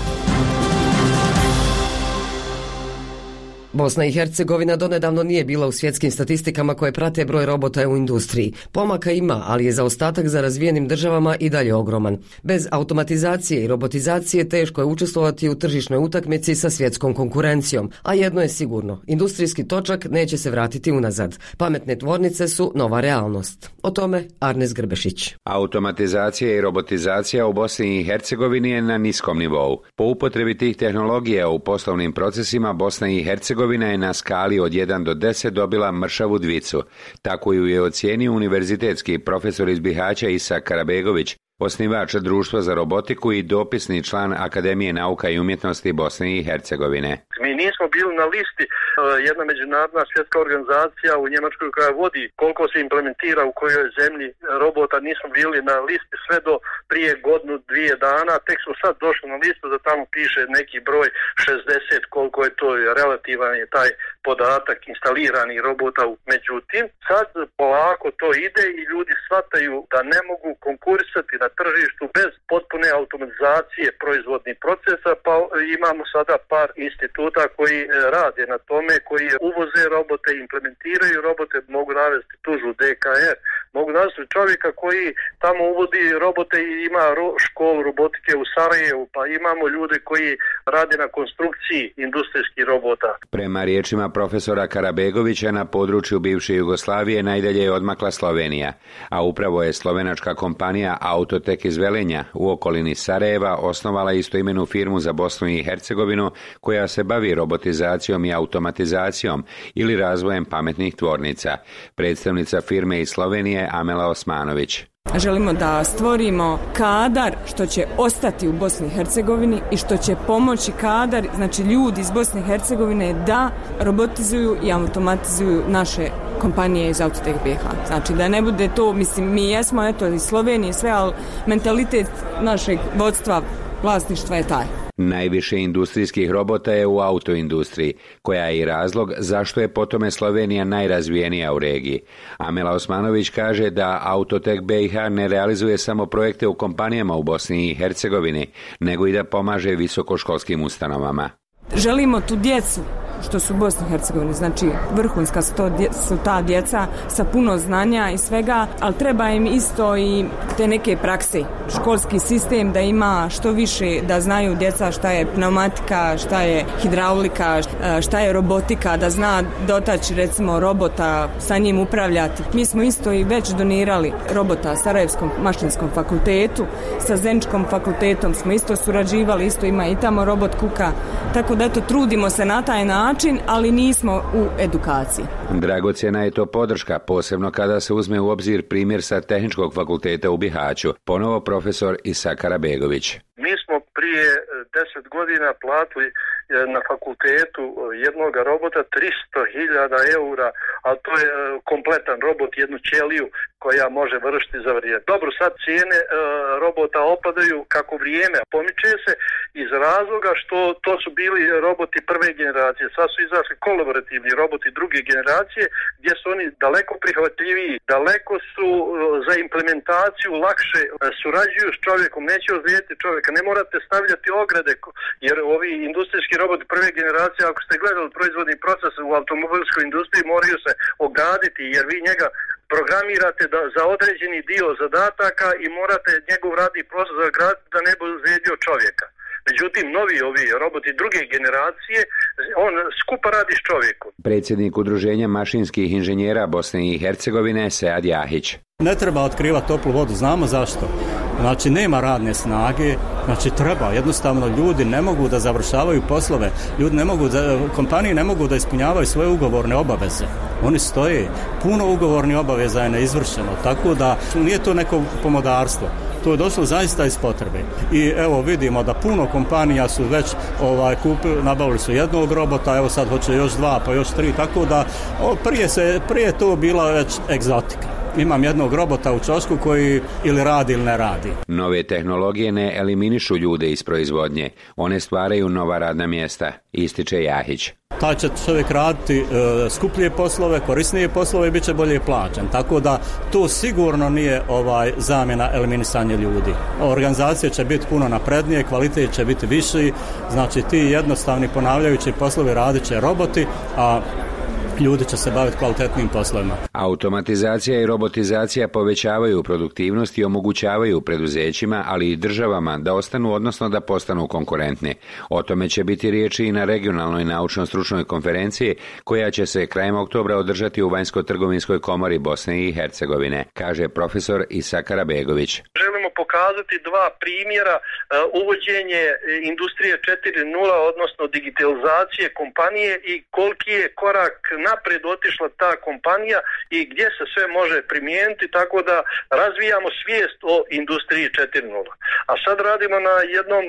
Bosna i Hercegovina donedavno nije bila u svjetskim statistikama koje prate broj robota u industriji. Pomaka ima, ali je zaostatak za razvijenim državama i dalje ogroman. Bez automatizacije i robotizacije teško je učestvovati u tržišnoj utakmici sa svjetskom konkurencijom. A jedno je sigurno, industrijski točak neće se vratiti unazad. Pametne tvornice su nova realnost. O tome Arnes Grbešić. Automatizacija i robotizacija u Bosni i Hercegovini je na niskom nivou. Po upotrebi tih tehnologija u poslovnim procesima Bosna i Hercegovina je na skali od 1 do 10 dobila mršavu dvicu. Tako ju je ocijenio univerzitetski profesor iz Bihaća Isa Karabegović, osnivač Društva za robotiku i dopisni član Akademije nauka i umjetnosti Bosne i Hercegovine. Mi nismo bili na listi, jedna međunarodna svjetska organizacija u Njemačkoj koja vodi koliko se implementira u kojoj zemlji robota, nismo bili na listi sve do prije godinu, 2 dana, tek smo sad došli na listu da tamo piše neki broj 60, koliko je to relativan je taj podatak instaliranih robota. Međutim, sad polako to ide i ljudi shvataju da ne mogu konkurisati na tržištu bez potpune automatizacije proizvodnih procesa, pa imamo sada par instituta koji rade na tome, koji uvoze robote, implementiraju robote, mogu navesti tužu DKR, mogu navesti čovjeka koji tamo uvodi robote i ima školu robotike u Sarajevu, pa imamo ljude koji rade na konstrukciji industrijskih robota. Prema riječima profesora Karabegovića, na području bivše Jugoslavije najdalje je odmakla Slovenija, a upravo je slovenačka kompanija Autotek iz Velenja u okolini Sarajeva osnovala istoimenu firmu za Bosnu i Hercegovinu koja se bavi robotizacijom i automatizacijom ili razvojem pametnih tvornica. Predstavnica firme iz Slovenije Amela Osmanović. Želimo da stvorimo kadar što će ostati u Bosni i Hercegovini i što će pomoći kadar, znači ljudi iz Bosne i Hercegovine da robotizuju i automatizuju naše kompanije iz Autotek BiH. Znači da ne bude to, mislim mi jesmo eto iz Slovenije sve, ali mentalitet našeg vodstva, vlasništva je taj. Najviše industrijskih robota je u autoindustriji, koja je i razlog zašto je po tome Slovenija najrazvijenija u regiji. Amela Osmanović kaže da Autotek BiH ne realizuje samo projekte u kompanijama u Bosni i Hercegovini, nego i da pomaže visokoškolskim ustanovama. Želimo tu djecu što su u Bosni i Hercegovini. Znači, vrhunska su ta djeca sa puno znanja i svega, ali treba im isto i te neke prakse. Školski sistem da ima što više, da znaju djeca šta je pneumatika, šta je hidraulika, šta je robotika, da zna dotaći recimo robota, sa njim upravljati. Mi smo isto i već donirali robota Sarajevskom mašinskom fakultetu, sa Zeničkom fakultetom smo isto surađivali, isto ima i tamo robot kuka, tako da eto trudimo se na taj način, ali nismo u edukaciji. Dragocjena je to podrška, posebno kada se uzme u obzir primjer sa Tehničkog fakulteta u Bihaću, ponovo profesor Isa Karabegović. Mi smo prije 10 godina platili na fakultetu jednog robota 300.000 eura, a to je kompletan robot, jednu ćeliju koja može vršiti za vrijeme. Dobro, sad cijene robota opadaju kako vrijeme pomiče se iz razloga što to su bili roboti prve generacije. Sad su izašli kolaborativni roboti druge generacije gdje su oni daleko prihvatljiviji, daleko su za implementaciju lakše, surađuju s čovjekom, neće ozlijediti čovjeka, ne morate stavljati ograde, jer ovi industrijski roboti prve generacije, ako ste gledali proizvodni proces u automobilskoj industriji, moraju se ograditi jer vi njega programirate za određeni dio zadataka i morate njegov radni proces zagraditi da ne bi ozlijedio čovjeka. Međutim, novi ovi roboti druge generacije, on skupa radi s čovjekom. Predsjednik Udruženja mašinskih inženjera Bosne i Hercegovine Sead Jahić. Ne treba otkrivati toplu vodu, znamo zašto. Znači, nema radne snage, znači treba, jednostavno ljudi ne mogu da završavaju poslove, kompanije ne mogu da ispunjavaju svoje ugovorne obaveze. Oni stoje, puno ugovornih obaveza je neizvršeno, tako da nije to neko pomodarstvo. To je došlo zaista iz potrebe. I evo vidimo da puno kompanija su već nabavili su jednog robota, evo sad hoće još 2, pa još 3, tako da prije to bila već egzotika. Imam jednog robota u čošku koji ili radi ili ne radi. Nove tehnologije ne eliminišu ljude iz proizvodnje. One stvaraju nova radna mjesta, ističe Jahić. Taj će čovjek raditi skuplje poslove, korisnije poslove i bit će bolje plaćen. Tako da to sigurno nije zamjena eliminisanja ljudi. Organizacija će biti puno naprednije, kvalitet će biti viši, znači ti jednostavni ponavljajući poslovi radit će roboti, a ljudi će se baviti kvalitetnim poslovima. Automatizacija i robotizacija povećavaju produktivnost i omogućavaju preduzećima, ali i državama da ostanu, odnosno da postanu konkurentni. O tome će biti riječi i na regionalnoj naučno-stručnoj konferenciji koja će se krajem oktobra održati u Vanjsko-trgovinskoj komori Bosne i Hercegovine, kaže profesor Isa Karabegović. Želimo pokazati dva primjera uvođenje industrije 4.0, odnosno digitalizacije kompanije i koliki je korak naprijed otišla ta kompanija i gdje se sve može primijeniti, tako da razvijamo svijest o industriji 4.0. A sad radimo na jednom,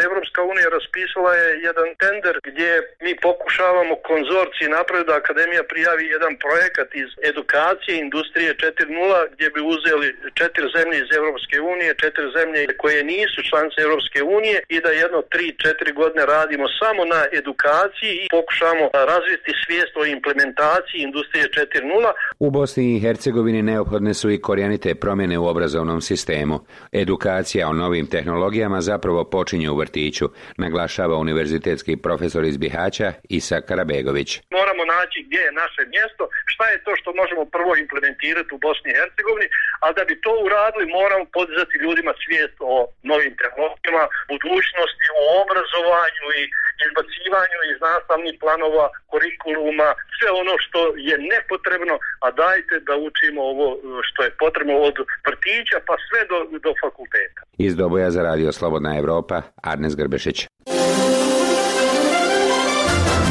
Evropska unija raspisala je jedan tender gdje mi pokušavamo konzorciji napraviti da Akademija prijavi jedan projekat iz edukacije industrije 4.0 gdje bi uzeli 4 zemlje iz Evropske unije, 4 zemlje koje nisu članice Evropske unije i da jedno 3-4 godine radimo samo na edukaciji i pokušamo razviti svijest o implementaciji industrije 4.0. U Bosni i Hercegovini neophodne su i korijenite promjene u obrazovnom sistemu. Edukacija o novim tehnologijama zapravo počinje u vrtiću, naglašava univerzitetski profesor iz Bihaća Isa Karabegović. Moramo naći gdje je naše mjesto, šta je to što možemo prvo implementirati u Bosni i Hercegovini, a da bi to uradili moramo podizati ljudima svijest o novim tehnologijama, budućnosti, o obrazovanju i izbacivanju iz nastavnih planova, kurikuluma, sve ono što je nepotrebno, a dajte da učimo ovo što je potrebno od vrtića pa sve do fakulteta. Iz Doboja za Radio Slobodna Evropa, Arnes Grbešić.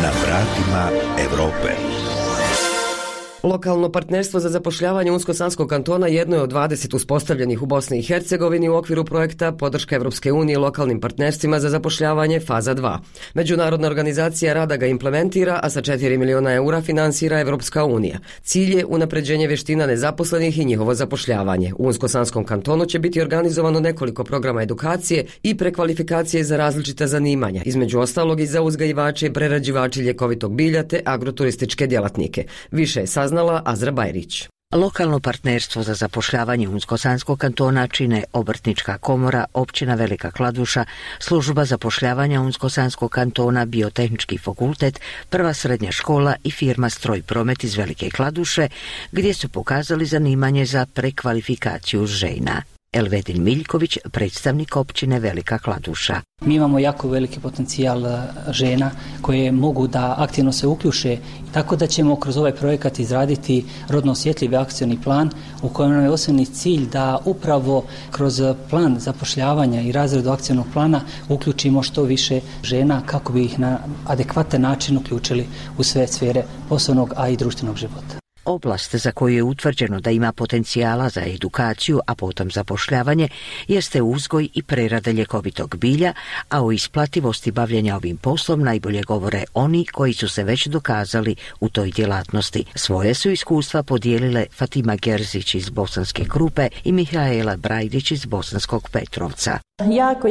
Na vratima Evrope. Lokalno partnerstvo za zapošljavanje Unsko-Sanskog kantona jedno je od 20 uspostavljenih u Bosni i Hercegovini u okviru projekta Podrška Evropske unije lokalnim partnerstvima za zapošljavanje faza 2. Međunarodna organizacija rada ga implementira, a sa 4 miliona eura finansira Evropska unija. Cilj je unapređenje vještina nezaposlenih i njihovo zapošljavanje. U Unsko-Sanskom kantonu će biti organizovano nekoliko programa edukacije i prekvalifikacije za različita zanimanja, između ostalog i za uzgajivače i prerađivače ljekovitog bilja te agroturističke djelatnike. Više je saznala Azra Bajrić. Lokalno partnerstvo za zapošljavanje Unsko-Sanskog kantona čine Obrtnička komora, općina Velika Kladuša, služba zapošljavanja Unsko-Sanskog kantona, Biotehnički fakultet, Prva srednja škola i firma Stroj promet iz Velike Kladuše, gdje su pokazali zanimanje za prekvalifikaciju žena. Elvedin Miljković, predstavnik općine Velika Kladuša. Mi imamo jako veliki potencijal žena koje mogu da aktivno se uključe, tako da ćemo kroz ovaj projekat izraditi rodno osjetljivi akcioni plan u kojem nam je osnovni cilj da upravo kroz plan zapošljavanja i razredu akcionog plana uključimo što više žena kako bi ih na adekvatan način uključili u sve sfere poslovnog, a i društvenog života. Oblast za koju je utvrđeno da ima potencijala za edukaciju, a potom zapošljavanje, jeste uzgoj i prerada ljekovitog bilja, a o isplativosti bavljenja ovim poslom najbolje govore oni koji su se već dokazali u toj djelatnosti. Svoje su iskustva podijelile Fatima Gerzić iz Bosanske Krupe i Mihaela Brajdić iz Bosanskog Petrovca.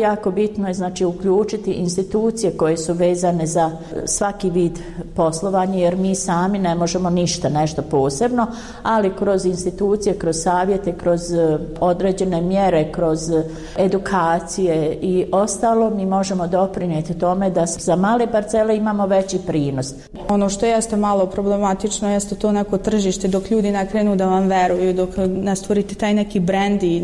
Jako bitno je znači uključiti institucije koje su vezane za svaki vid poslovanja, jer mi sami ne možemo nešto posebno, ali kroz institucije, kroz savjete, kroz određene mjere, kroz edukacije i ostalo mi možemo doprinijeti tome da za male parcele imamo veći prinos. Ono što jeste malo problematično jeste to neko tržište, dok ljudi ne krenu da vam veruju, dok ne stvorite taj neki brand i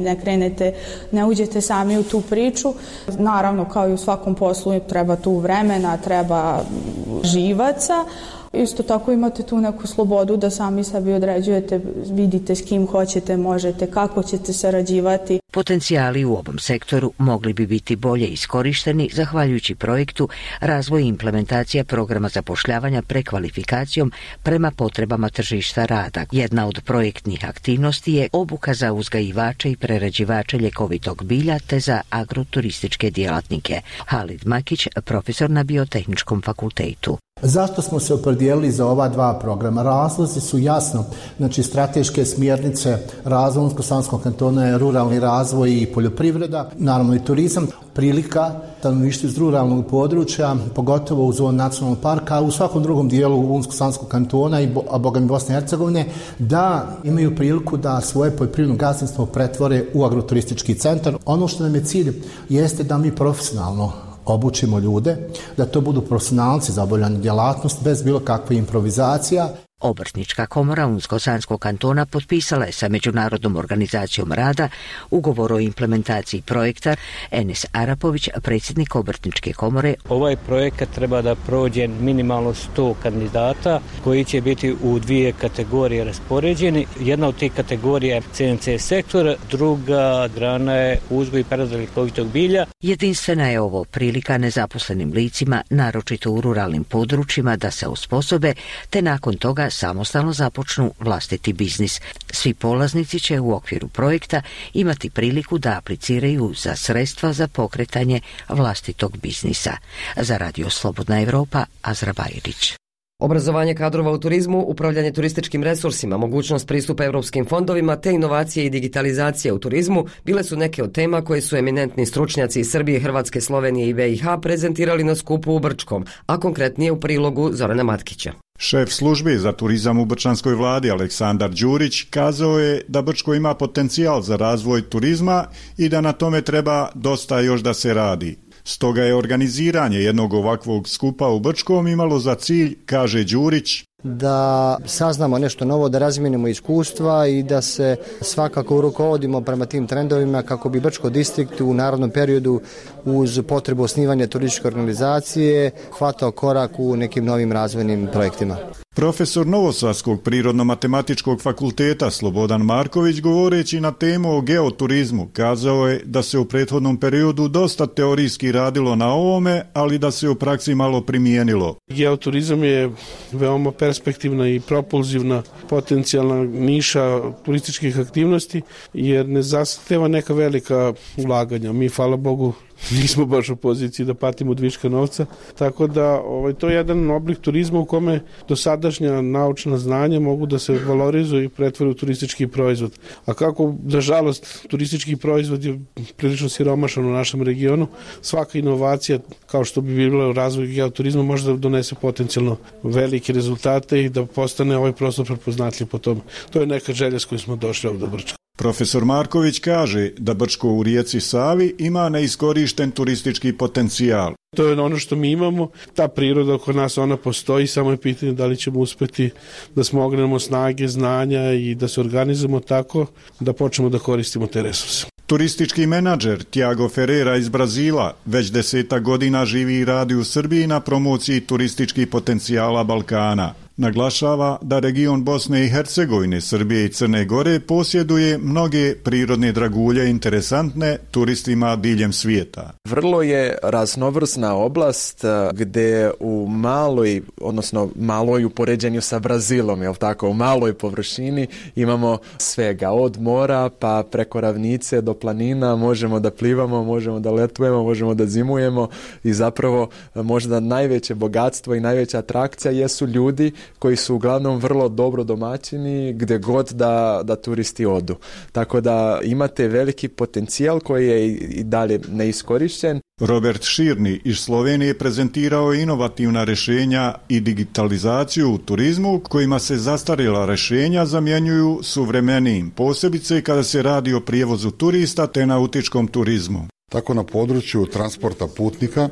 ne uđete sami u tu priču. Naravno, kao i u svakom poslu, treba tu vremena, treba živaca. Isto tako imate tu neku slobodu da sami sebi određujete, vidite s kim hoćete, možete, kako ćete sarađivati. Potencijali u ovom sektoru mogli bi biti bolje iskorišteni zahvaljujući projektu Razvoj i implementacija programa zapošljavanja prekvalifikacijom prema potrebama tržišta rada. Jedna od projektnih aktivnosti je obuka za uzgajivače i prerađivače ljekovitog bilja te za agroturističke djelatnike. Halid Makić, profesor na Biotehničkom fakultetu. Zašto smo se opredijelili za ova dva programa? Razlozi su jasno, znači strateške smjernice razvoja Unsko-Sanskog kantona je ruralni razvoj i poljoprivreda, naravno i turizam, prilika stanovništvu iz ruralnog područja, pogotovo u zoni nacionalnog parka, a u svakom drugom dijelu Unsko-Sanskog kantona i bogami Bosne i Hercegovine, da imaju priliku da svoje poljoprivredno gazdinstvo pretvore u agroturistički centar. Ono što nam je cilj jeste da mi profesionalno obučimo ljude, da to budu profesionalci za obavljanje djelatnosti bez bilo kakve improvizacija. Obrtnička komora Unsko-Sanskog kantona potpisala je sa Međunarodnom organizacijom rada ugovor o implementaciji projekta. Enes Arapović, predsjednik Obrtničke komore. Ovaj projekat treba da prođe minimalno 100 kandidata koji će biti u dvije kategorije raspoređeni. Jedna od tih kategorija je CNC sektor, druga grana je uzgoj i prerada ljekovitog bilja. Jedinstvena je ovo prilika nezaposlenim licima, naročito u ruralnim područjima, da se osposobe te nakon toga samostalno započnu vlastiti biznis. Svi polaznici će u okviru projekta imati priliku da apliciraju za sredstva za pokretanje vlastitog biznisa. Za Radio Slobodna Evropa, Azra Bajrić. Obrazovanje kadrova u turizmu, upravljanje turističkim resursima, mogućnost pristupa europskim fondovima te inovacije i digitalizacije u turizmu bile su neke od tema koje su eminentni stručnjaci iz Srbije, Hrvatske, Slovenije i BiH prezentirali na skupu u Brčkom, a konkretnije u prilogu Zorana Matkića. Šef službe za turizam u brčanskoj vladi Aleksandar Đurić kazao je da Brčko ima potencijal za razvoj turizma i da na tome treba dosta još da se radi. Stoga je organiziranje jednog ovakvog skupa u Brčkom imalo za cilj, kaže Đurić, da saznamo nešto novo, da razmijenimo iskustva i da se svakako rukovodimo prema tim trendovima kako bi Brčko distrikt u narednom periodu uz potrebu osnivanja turističke organizacije hvatao korak u nekim novim razvojnim projektima. Profesor Novosavskog prirodno-matematičkog fakulteta Slobodan Marković, govoreći na temu o geoturizmu, kazao je da se u prethodnom periodu dosta teorijski radilo na ovome, ali da se u praksi malo primijenilo. Geoturizam je veoma perspektivna i propulzivna potencijalna niša turističkih aktivnosti, jer ne zahteva neka velika ulaganja. Mi, hvala Bogu, nismo baš u poziciji da patimo od viška novca, tako da to je jedan oblik turizma u kome dosadašnja naučna znanja mogu da se valorizuju i pretvore u turistički proizvod. A kako, nažalost, turistički proizvod je prilično siromašan u našem regionu, svaka inovacija, kao što bi bila u razvoju geoturizma, može da donese potencijalno velike rezultate i da postane ovaj prostor prepoznatljiv po tome. To je neka želja s kojom smo došli ovdje do Brčka. Profesor Marković kaže da Brčko u rijeci Savi ima neiskorišten turistički potencijal. To je ono što mi imamo, ta priroda oko nas, ona postoji, samo je pitanje da li ćemo uspjeti da smognemo snage, znanja i da se organizujemo tako da počnemo da koristimo te resurse. Turistički menadžer Tiago Ferreira iz Brazila već 10 godina živi i radi u Srbiji na promociji turističkih potencijala Balkana. Naglašava da region Bosne i Hercegovine, Srbije i Crne Gore posjeduje mnoge prirodne dragulje interesantne turistima diljem svijeta. Vrlo je raznovrsna oblast gdje u maloj u poređenju sa Brazilom, u maloj površini imamo svega od mora pa preko ravnice do planina, možemo da plivamo, možemo da letujemo, možemo da zimujemo i zapravo možda najveće bogatstvo i najveća atrakcija jesu ljudi koji su uglavnom vrlo dobro domaćini gdje god da turisti odu. Tako da imate veliki potencijal koji je i dalje neiskorišten. Robert Širni iz Slovenije prezentirao inovativna rješenja i digitalizaciju u turizmu kojima se zastarjela rješenja zamjenjuju suvremenijim, posebice kada se radi o prijevozu turista te nautičkom turizmu. Tako na području transporta putnika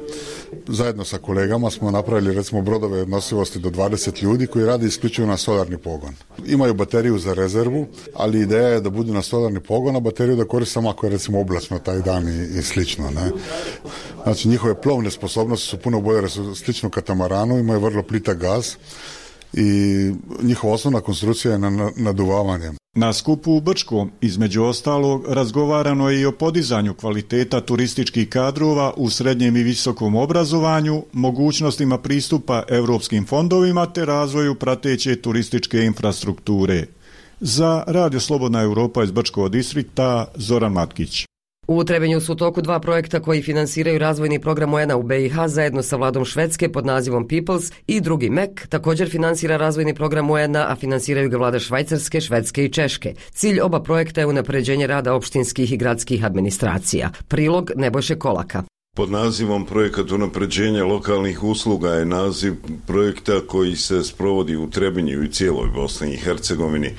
zajedno sa kolegama smo napravili recimo brodove nosivosti do 20 ljudi koji rade isključivo na solarni pogon. Imaju bateriju za rezervu, ali ideja je da budu na solarni pogon, a bateriju da koriste samo ako je recimo oblačno taj dan i slično. Ne? Znači njihove plovne sposobnosti su puno bolje, slično katamaranu, imaju vrlo plitak gaz i njihova osnovna konstrukcija je na naduvavanje. Na skupu u Brčkom, između ostalog, razgovarano je i o podizanju kvaliteta turističkih kadrova u srednjem i visokom obrazovanju, mogućnostima pristupa europskim fondovima te razvoju prateće turističke infrastrukture. Za Radio Slobodna Europa iz Brčkog distrikta, Zoran Matkić. U Trebinju su u toku 2 projekta koji finansiraju razvojni program UN-a u BiH zajedno sa vladom Švedske pod nazivom Peoples i drugi MEC. Također finansira razvojni program UN-a, a finansiraju ga vlade Švajcarske, Švedske i Češke. Cilj oba projekta je unapređenje rada opštinskih i gradskih administracija. Prilog Nebojše Kolaka. Pod nazivom Projekat unapređenja lokalnih usluga je naziv projekta koji se sprovodi u Trebinju i cijeloj Bosni i Hercegovini.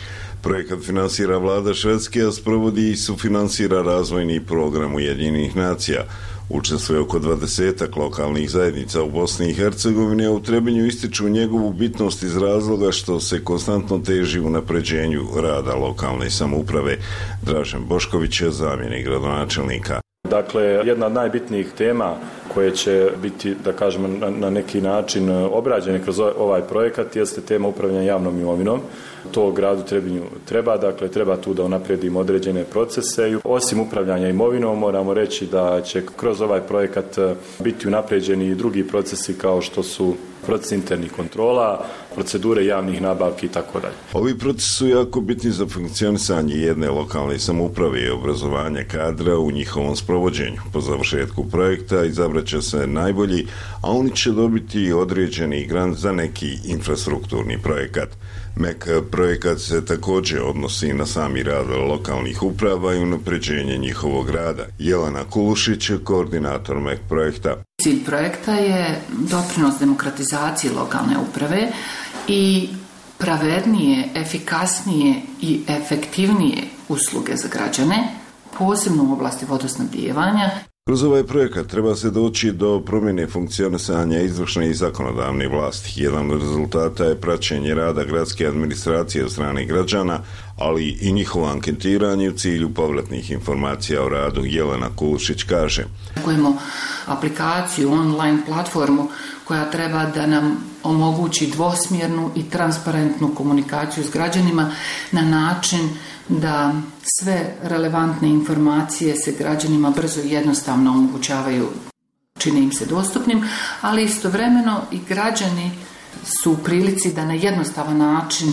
Projekat finansira vlada Švedske, a sprovodi i sufinansira razvojni program Ujedinjenih nacija. Učestvuje oko 20 lokalnih zajednica u Bosni i Hercegovini, a u Trebinju ističu njegovu bitnost iz razloga što se konstantno teži unapređenju rada lokalne samouprave. Dražen Bošković je zamjenik gradonačelnika. Dakle, jedna od najbitnijih tema koje će biti, da kažemo, na neki način obrađene kroz ovaj projekat jeste tema upravljanja javnom imovinom. To gradu Trebinju treba tu da unaprijedimo određene procese. I osim upravljanja imovinom moramo reći da će kroz ovaj projekat biti unaprijeđeni i drugi procesi kao što su proces internih kontrola, procedure javnih nabavki i tako dalje. Ovi procesi su jako bitni za funkcionisanje jedne lokalne samouprave i obrazovanje kadra u njihovom sprovođenju. Po završetku projekta izabrat će se najbolji, a oni će dobiti određeni grant za neki infrastrukturni projekat. MEC projekat se također odnosi na sami rad lokalnih uprava i unapređenje njihovog rada. Jelena Kulušić, koordinator MEC projekta. Cilj projekta je doprinos demokratizaciji lokalne uprave i pravednije, efikasnije i efektivnije usluge za građane, posebno u oblasti vodosnabdijevanja. Kroz ovaj projekat treba se doći do promjene funkcionisanja izvršne i zakonodavne vlasti. Jedan od rezultata je praćenje rada gradske administracije od strane građana, ali i njihovo anketiranje u cilju povratnih informacija o radu. Jelena Kulušić kaže. Imamo aplikaciju, online platformu koja treba da nam omogući dvosmjernu i transparentnu komunikaciju s građanima na način da sve relevantne informacije se građanima brzo i jednostavno omogućavaju, čine im se dostupnim, ali istovremeno i građani su u prilici da na jednostavan način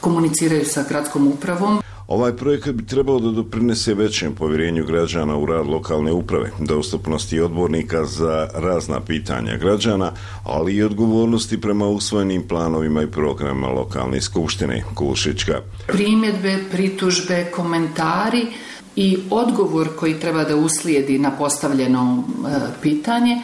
komuniciraju sa gradskom upravom. Ovaj projekat bi trebao da doprinese većem povjerenju građana u rad lokalne uprave, dostupnosti odbornika za razna pitanja građana, ali i odgovornosti prema usvojenim planovima i programima lokalne skupštine. Kulšićka. Primjedbe, pritužbe, komentari i odgovor koji treba da uslijedi na postavljeno pitanje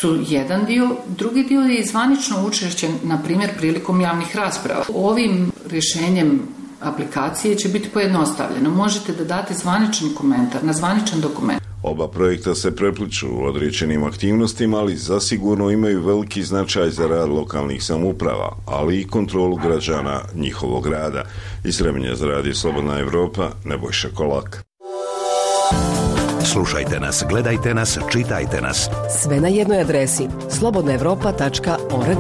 su jedan dio. Drugi dio je zvanično učešće, na primjer, prilikom javnih rasprava. Ovim rješenjem aplikacije će biti pojednostavljeno. Možete da date zvaničan komentar na zvaničan dokument. Oba projekta se prepliču u određenim aktivnostima, ali zasigurno imaju veliki značaj za rad lokalnih samouprava, ali i kontrolu građana njihovog rada. Iz Srebrnja za Radio Slobodna Evropa, Nebojša Kolak. Slušajte nas, gledajte nas, čitajte nas. Sve na jednoj adresi slobodnaevropa.org.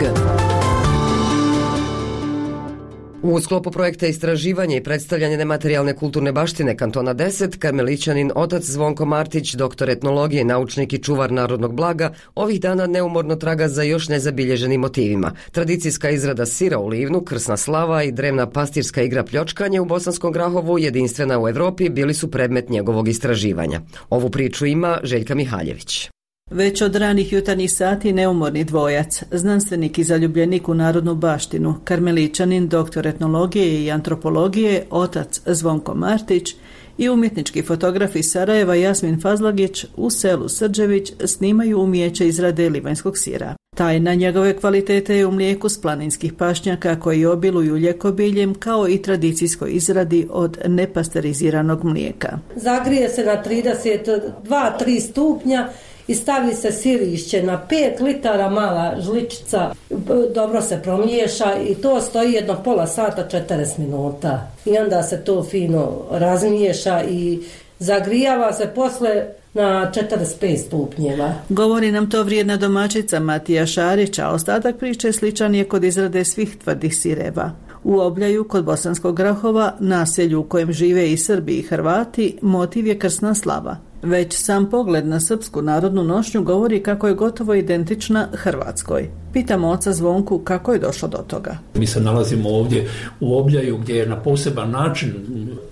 U sklopu projekta istraživanje i predstavljanje nematerijalne kulturne baštine Kantona 10, karmelićanin otac Zvonko Martić, doktor etnologije, naučnik i čuvar narodnog blaga, ovih dana neumorno traga za još nezabilježenim motivima. Tradicijska izrada sira u Livnu, krsna slava i drevna pastirska igra pljočkanje u Bosanskom Grahovu, jedinstvena u Evropi, bili su predmet njegovog istraživanja. Ovu priču ima Željka Mihaljević. Već od ranih jutarnjih sati neumorni dvojac, znanstvenik i zaljubljenik u narodnu baštinu, karmelićanin, doktor etnologije i antropologije, otac Zvonko Martić i umjetnički fotograf iz Sarajeva Jasmin Fazlagić u selu Srđević snimaju umijeće izrade livanjskog sira. Tajna njegove kvalitete je u mlijeku s planinskih pašnjaka koji obiluju ljekobiljem, kao i tradicijskoj izradi od nepasteriziranog mlijeka. Zagrije se na 32-3 stupnja i stavi se sirišće na 5 litara, mala žličica, dobro se promiješa i to stoji jedno pola sata, 40 minuta. I onda se to fino razmiješa i zagrijava se posle na 45 stupnjeva. Govori nam to vrijedna domaćica Matija Šarić, a ostatak priče sličan je kod izrade svih tvrdih sireva. U Obljaju, kod Bosanskog Grahova, naselju u kojem žive i Srbi i Hrvati, motiv je krsna slava. Već sam pogled na srpsku narodnu nošnju govori kako je gotovo identična Hrvatskoj. Pitamo oca Zvonku kako je došlo do toga. Mi se nalazimo ovdje u Obljaju gdje je na poseban način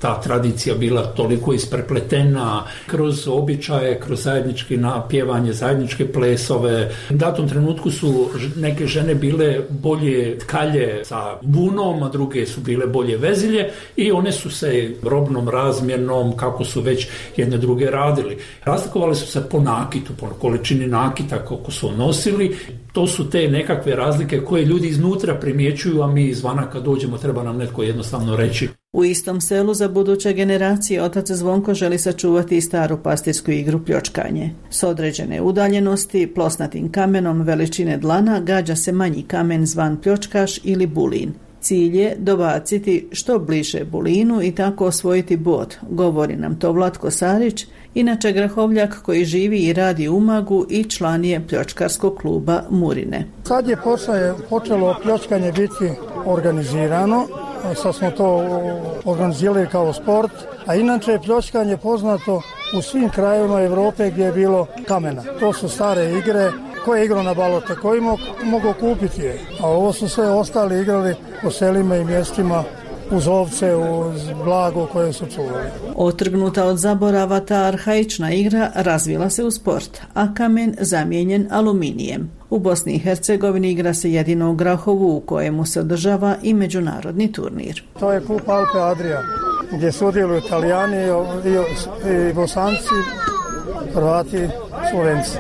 ta tradicija bila toliko isprepletena kroz običaje, kroz zajednički napjevanje, zajedničke plesove. U datom trenutku su neke žene bile bolje tkalje sa bunom, a druge su bile bolje vezilje i one su se robnom razmjernom, kako su već jedne druge radili. Razlikovali su se po nakitu, po količini nakita koliko su nosili. To su te nekakve razlike koje ljudi iznutra primjećuju, a mi izvana kad dođemo treba nam netko jednostavno reći. U istom selu za buduće generacije otac Zvonko želi sačuvati i staru pastirsku igru pljočkanje. S određene udaljenosti, plosnatim kamenom veličine dlana gađa se manji kamen zvan pljočkaš ili bulin. Cilj je dobaciti što bliže bulinu i tako osvojiti bod, govori nam to Vlatko Sarić, inače Grahovljak koji živi i radi u Umagu i član je pljočkarskog kluba Murine. Sad je počelo pljočkanje biti organizirano, sad smo to organizirali kao sport, a inače je pljočkanje poznato u svim krajevima Europe gdje je bilo kamena. To su stare igre. Ko je igrao na balote, koji mogu kupiti je. A ovo su sve ostali igrali po selima i mjestima uz ovce, uz blago koje su čuvali. Otrgnuta od zaborava ta arhaična igra razvila se u sport, a kamen zamijenjen aluminijem. U Bosni i Hercegovini igra se jedino u Grahovu u kojemu se održava i međunarodni turnir. To je klub Alpe Adria gdje sudjeluju Italijani i Bosanci, Hrvati, Slovenci.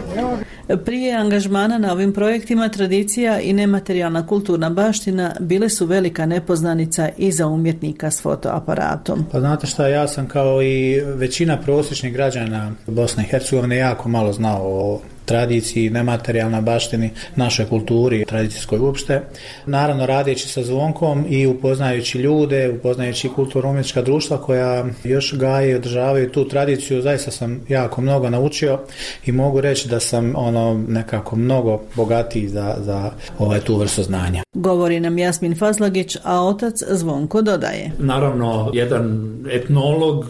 Prije angažmana na ovim projektima tradicija i nematerijalna kulturna baština bile su velika nepoznanica i za umjetnika s fotoaparatom. Pa znate šta, ja sam kao i većina prosječnih građana Bosne i Hercegovine jako malo znao o tradiciji, nematerijalnoj baštini, našoj kulturi, tradicijskoj uopšte. Naravno, radeći sa Zvonkom i upoznajući ljude, upoznajući kulturno-umjetnička društva koja još gaje i održavaju tu tradiciju, zaista sam jako mnogo naučio i mogu reći da sam nekako mnogo bogatiji za tu vrstu znanja. Govori nam Jasmin Fazlagić, a otac Zvonko dodaje. Naravno, jedan etnolog,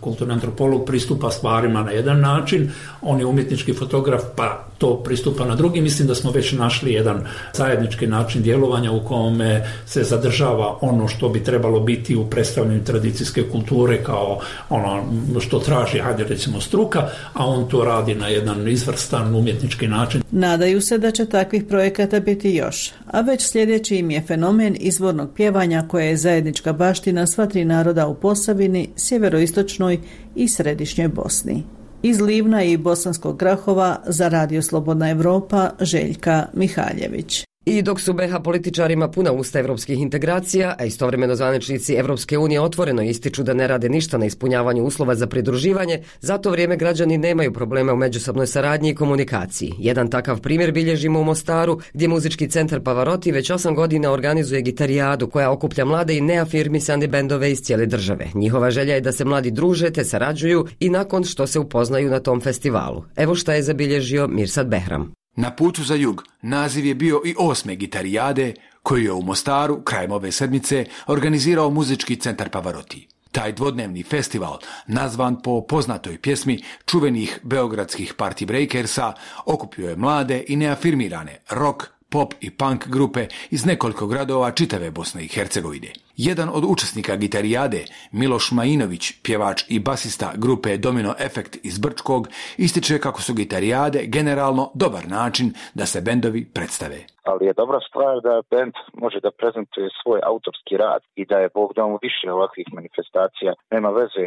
kulturni antropolog pristupa stvarima na jedan način, on je umjetnički fotograf, pa pa to pristupa na drugi. Mislim da smo već našli jedan zajednički način djelovanja u kome se zadržava ono što bi trebalo biti u predstavljanju tradicijske kulture kao ono što traži, hajde recimo struka, a on to radi na jedan izvrstan umjetnički način. Nadaju se da će takvih projekata biti još, a već sljedeći im je fenomen izvornog pjevanja koje je zajednička baština sva tri naroda u Posavini, sjeveroistočnoj i središnjoj Bosni. Iz Livna i Bosanskog Grahova za Radio Slobodna Evropa, Željka Mihaljević. I dok su BiH političarima puna usta evropskih integracija, a istovremeno zvaničnici Evropske unije otvoreno ističu da ne rade ništa na ispunjavanju uslova za pridruživanje, za to vrijeme građani nemaju problema u međusobnoj saradnji i komunikaciji. Jedan takav primjer bilježimo u Mostaru, gdje muzički centar Pavarotti već 8 godina organizuje gitarijadu koja okuplja mlade i neafirmisane bendove iz cijele države. Njihova želja je da se mladi druže te sarađuju i nakon što se upoznaju na tom festivalu. Evo šta je zabilježio Mirsad Behram. Na putu za jug naziv je bio i 8. gitarijade koju je u Mostaru krajem ove sedmice organizirao muzički centar Pavarotti. Taj dvodnevni festival, nazvan po poznatoj pjesmi čuvenih beogradskih party breakersa, okupio je mlade i neafirmirane rock, pop i punk grupe iz nekoliko gradova čitave Bosne i Hercegovine. Jedan od učesnika gitarijade, Miloš Majinović, pjevač i basista grupe Domino Efekt iz Brčkog, ističe kako su gitarijade generalno dobar način da se bendovi predstave. Ali je dobra stvar da bend može da prezentuje svoj autorski rad i da je Bog dao više ovakvih manifestacija. Nema veze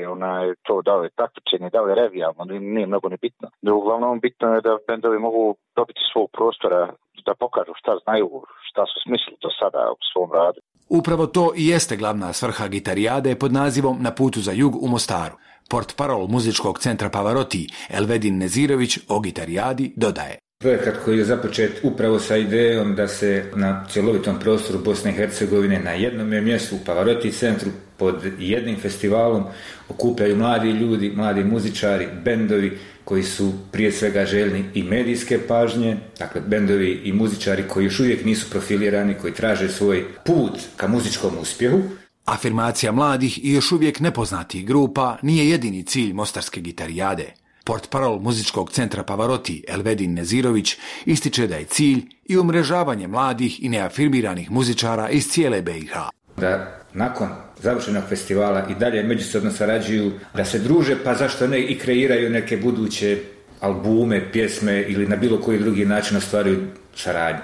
to da li je takmičenje, da li je revijalno, nije mnogo ni bitno. Uglavnom bitno je da bendovi mogu dobiti svog prostora da pokažu šta znaju, šta su smislili do sada u svom radu. Upravo to i jeste glavna svrha gitarijade pod nazivom Na putu za jug u Mostaru. Portparol muzičkog centra Pavarotti Elvedin Nezirović o gitarijadi dodaje. Projekat koji je započet upravo sa idejom da se na cjelovitom prostoru Bosne i Hercegovine na jednom mjestu u Pavarotti centru pod jednim festivalom okupljaju mladi ljudi, mladi muzičari, bendovi koji su prije svega željni i medijske pažnje, dakle bendovi i muzičari koji još uvijek nisu profilirani, koji traže svoj put ka muzičkom uspjehu. Afirmacija mladih i još uvijek nepoznatih grupa nije jedini cilj mostarske gitarijade. Portparol muzičkog centra Pavarotti Elvedin Nezirović ističe da je cilj i umrežavanje mladih i neafirmiranih muzičara iz cijele BiH. Da nakon završenog festivala i dalje međusobno sarađuju, da se druže, pa zašto ne i kreiraju neke buduće albume, pjesme ili na bilo koji drugi način ostvaruju saradnju.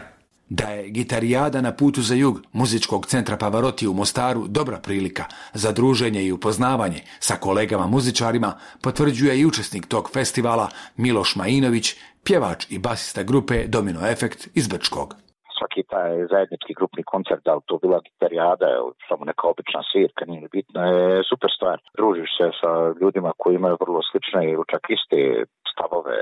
Da je gitarijada Na putu za jug muzičkog centra Pavarotti u Mostaru dobra prilika za druženje i upoznavanje sa kolegama muzičarima, potvrđuje i učesnik tog festivala Miloš Majinović, pjevač i basista grupe Domino Efekt iz Brčkog. Svaki taj zajednički grupni koncert, da li to bila gitarijada, samo neka obična svirka, nije bitno, je super stvar. Družiš se sa ljudima koji imaju vrlo slične i čak iste stavove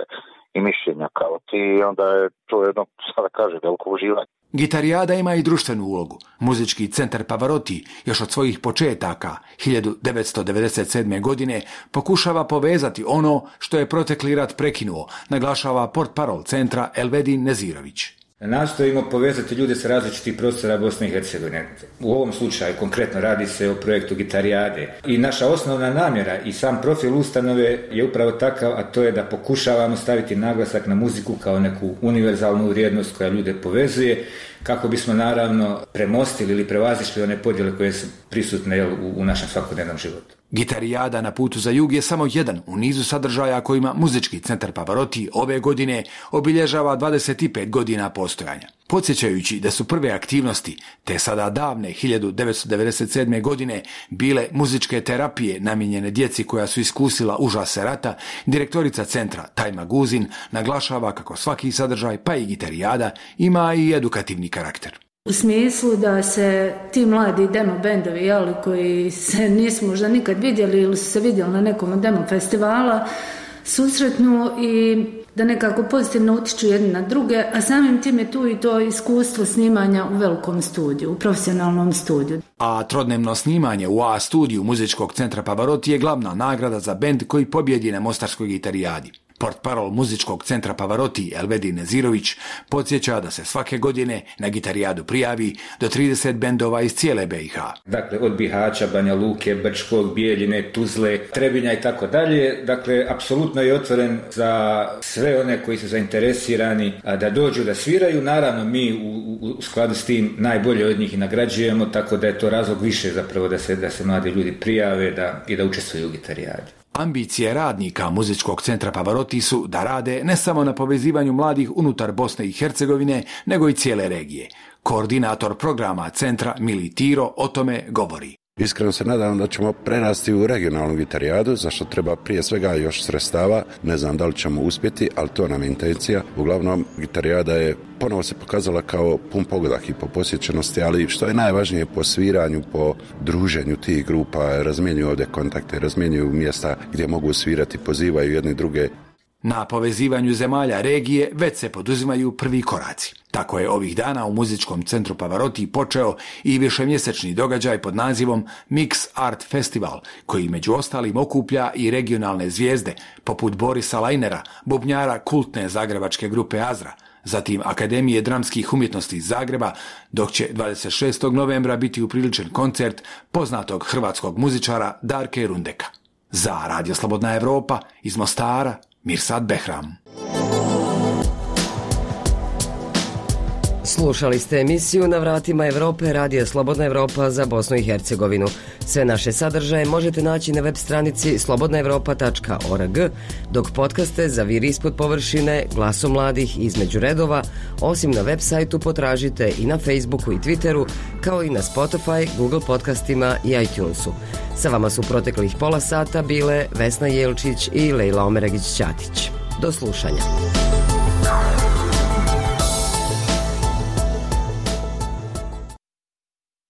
i mišljenja kao ti i onda je to jedno, sada kaže, veliko uživanje. Gitarijada ima i društvenu ulogu. Muzički centar Pavarotti još od svojih početaka 1997. godine pokušava povezati ono što je protekli rat prekinuo, naglašava portparol centra Elvedin Nezirović. Nastojimo povezati ljude sa različitih prostora Bosne i Hercegovine. U ovom slučaju konkretno radi se o projektu gitarijade. I naša osnovna namjera i sam profil ustanove je upravo takav, a to je da pokušavamo staviti naglasak na muziku kao neku univerzalnu vrijednost koja ljude povezuje, kako bismo naravno premostili ili prevazišli one podjele koje su prisutne u našem svakodnevnom životu. Gitarijada Na putu za jug je samo jedan u nizu sadržaja kojima muzički centar Pavarotti ove godine obilježava 25 godina postojanja. Podsjećajući da su prve aktivnosti, te sada davne 1997. godine, bile muzičke terapije namijenjene djeci koja su iskusila užase rata, direktorica centra Tajma Guzin naglašava kako svaki sadržaj, pa i gitarijada, ima i edukativni karakter. U smislu da se ti mladi demo bendovi, koji se nisu možda nikad vidjeli ili su se vidjeli na nekom demo festivala, susretnu i da nekako pozitivno utiču jedni na druge, a samim tim je tu i to iskustvo snimanja u velikom studiju, u profesionalnom studiju. A trodnevno snimanje u A studiju muzičkog centra Pavarotti je glavna nagrada za bend koji pobjedi na mostarskoj gitarijadi. Portparol muzičkog centra Pavarotti Elvedin Nezirović podsjeća da se svake godine na gitarijadu prijavi do 30 bendova iz cijele BiH. Dakle, od Bihaća, Banja Luke, Brčkog, Bijeljine, Tuzle, Trebinja i tako dalje. Dakle, apsolutno je otvoren za sve one koji su zainteresirani da dođu da sviraju. Naravno, mi u skladu s tim najbolje od njih i nagrađujemo, tako da je to razlog više zapravo da se mladi ljudi prijave i da učestvuju u gitarijadi. Ambicije radnika muzičkog centra Pavarotti su da rade ne samo na povezivanju mladih unutar Bosne i Hercegovine, nego i cijele regije. Koordinator programa centra Mili Tiro o tome govori. Iskreno se nadam da ćemo prerasti u regionalnu gitarijadu, za što treba prije svega još sredstava. Ne znam da li ćemo uspjeti, ali to nam je intencija. Uglavnom, gitarijada je ponovo se pokazala kao pun pogodak i po posjećenosti, ali što je najvažnije po sviranju, po druženju tih grupa, razmjenjuju ovdje kontakte, razmjenjuju mjesta gdje mogu svirati, pozivaju jedni druge. Na povezivanju zemalja regije već se poduzimaju prvi koraci. Tako je ovih dana u muzičkom centru Pavarotti počeo i višemjesečni događaj pod nazivom Mix Art Festival, koji među ostalim okuplja i regionalne zvijezde, poput Borisa Lajnera, bubnjara kultne zagrebačke grupe Azra, zatim Akademije dramskih umjetnosti iz Zagreba, dok će 26. novembra biti upriličen koncert poznatog hrvatskog muzičara Darke Rundeka. Za Radio Slobodna Evropa iz Mostara, Mirsad Behram. Slušali ste emisiju Na vratima Evrope Radija Slobodna Evropa za Bosnu i Hercegovinu. Sve naše sadržaje možete naći na web stranici slobodnaevropa.org, dok podcaste Zaviri ispod površine, Glasom mladih između redova, osim na web sajtu potražite i na Facebooku i Twitteru, kao i na Spotify, Google podcastima i iTunesu. Sa vama su proteklih pola sata bile Vesna Jelčić i Lejla Omeregić-Ćatić. Do slušanja.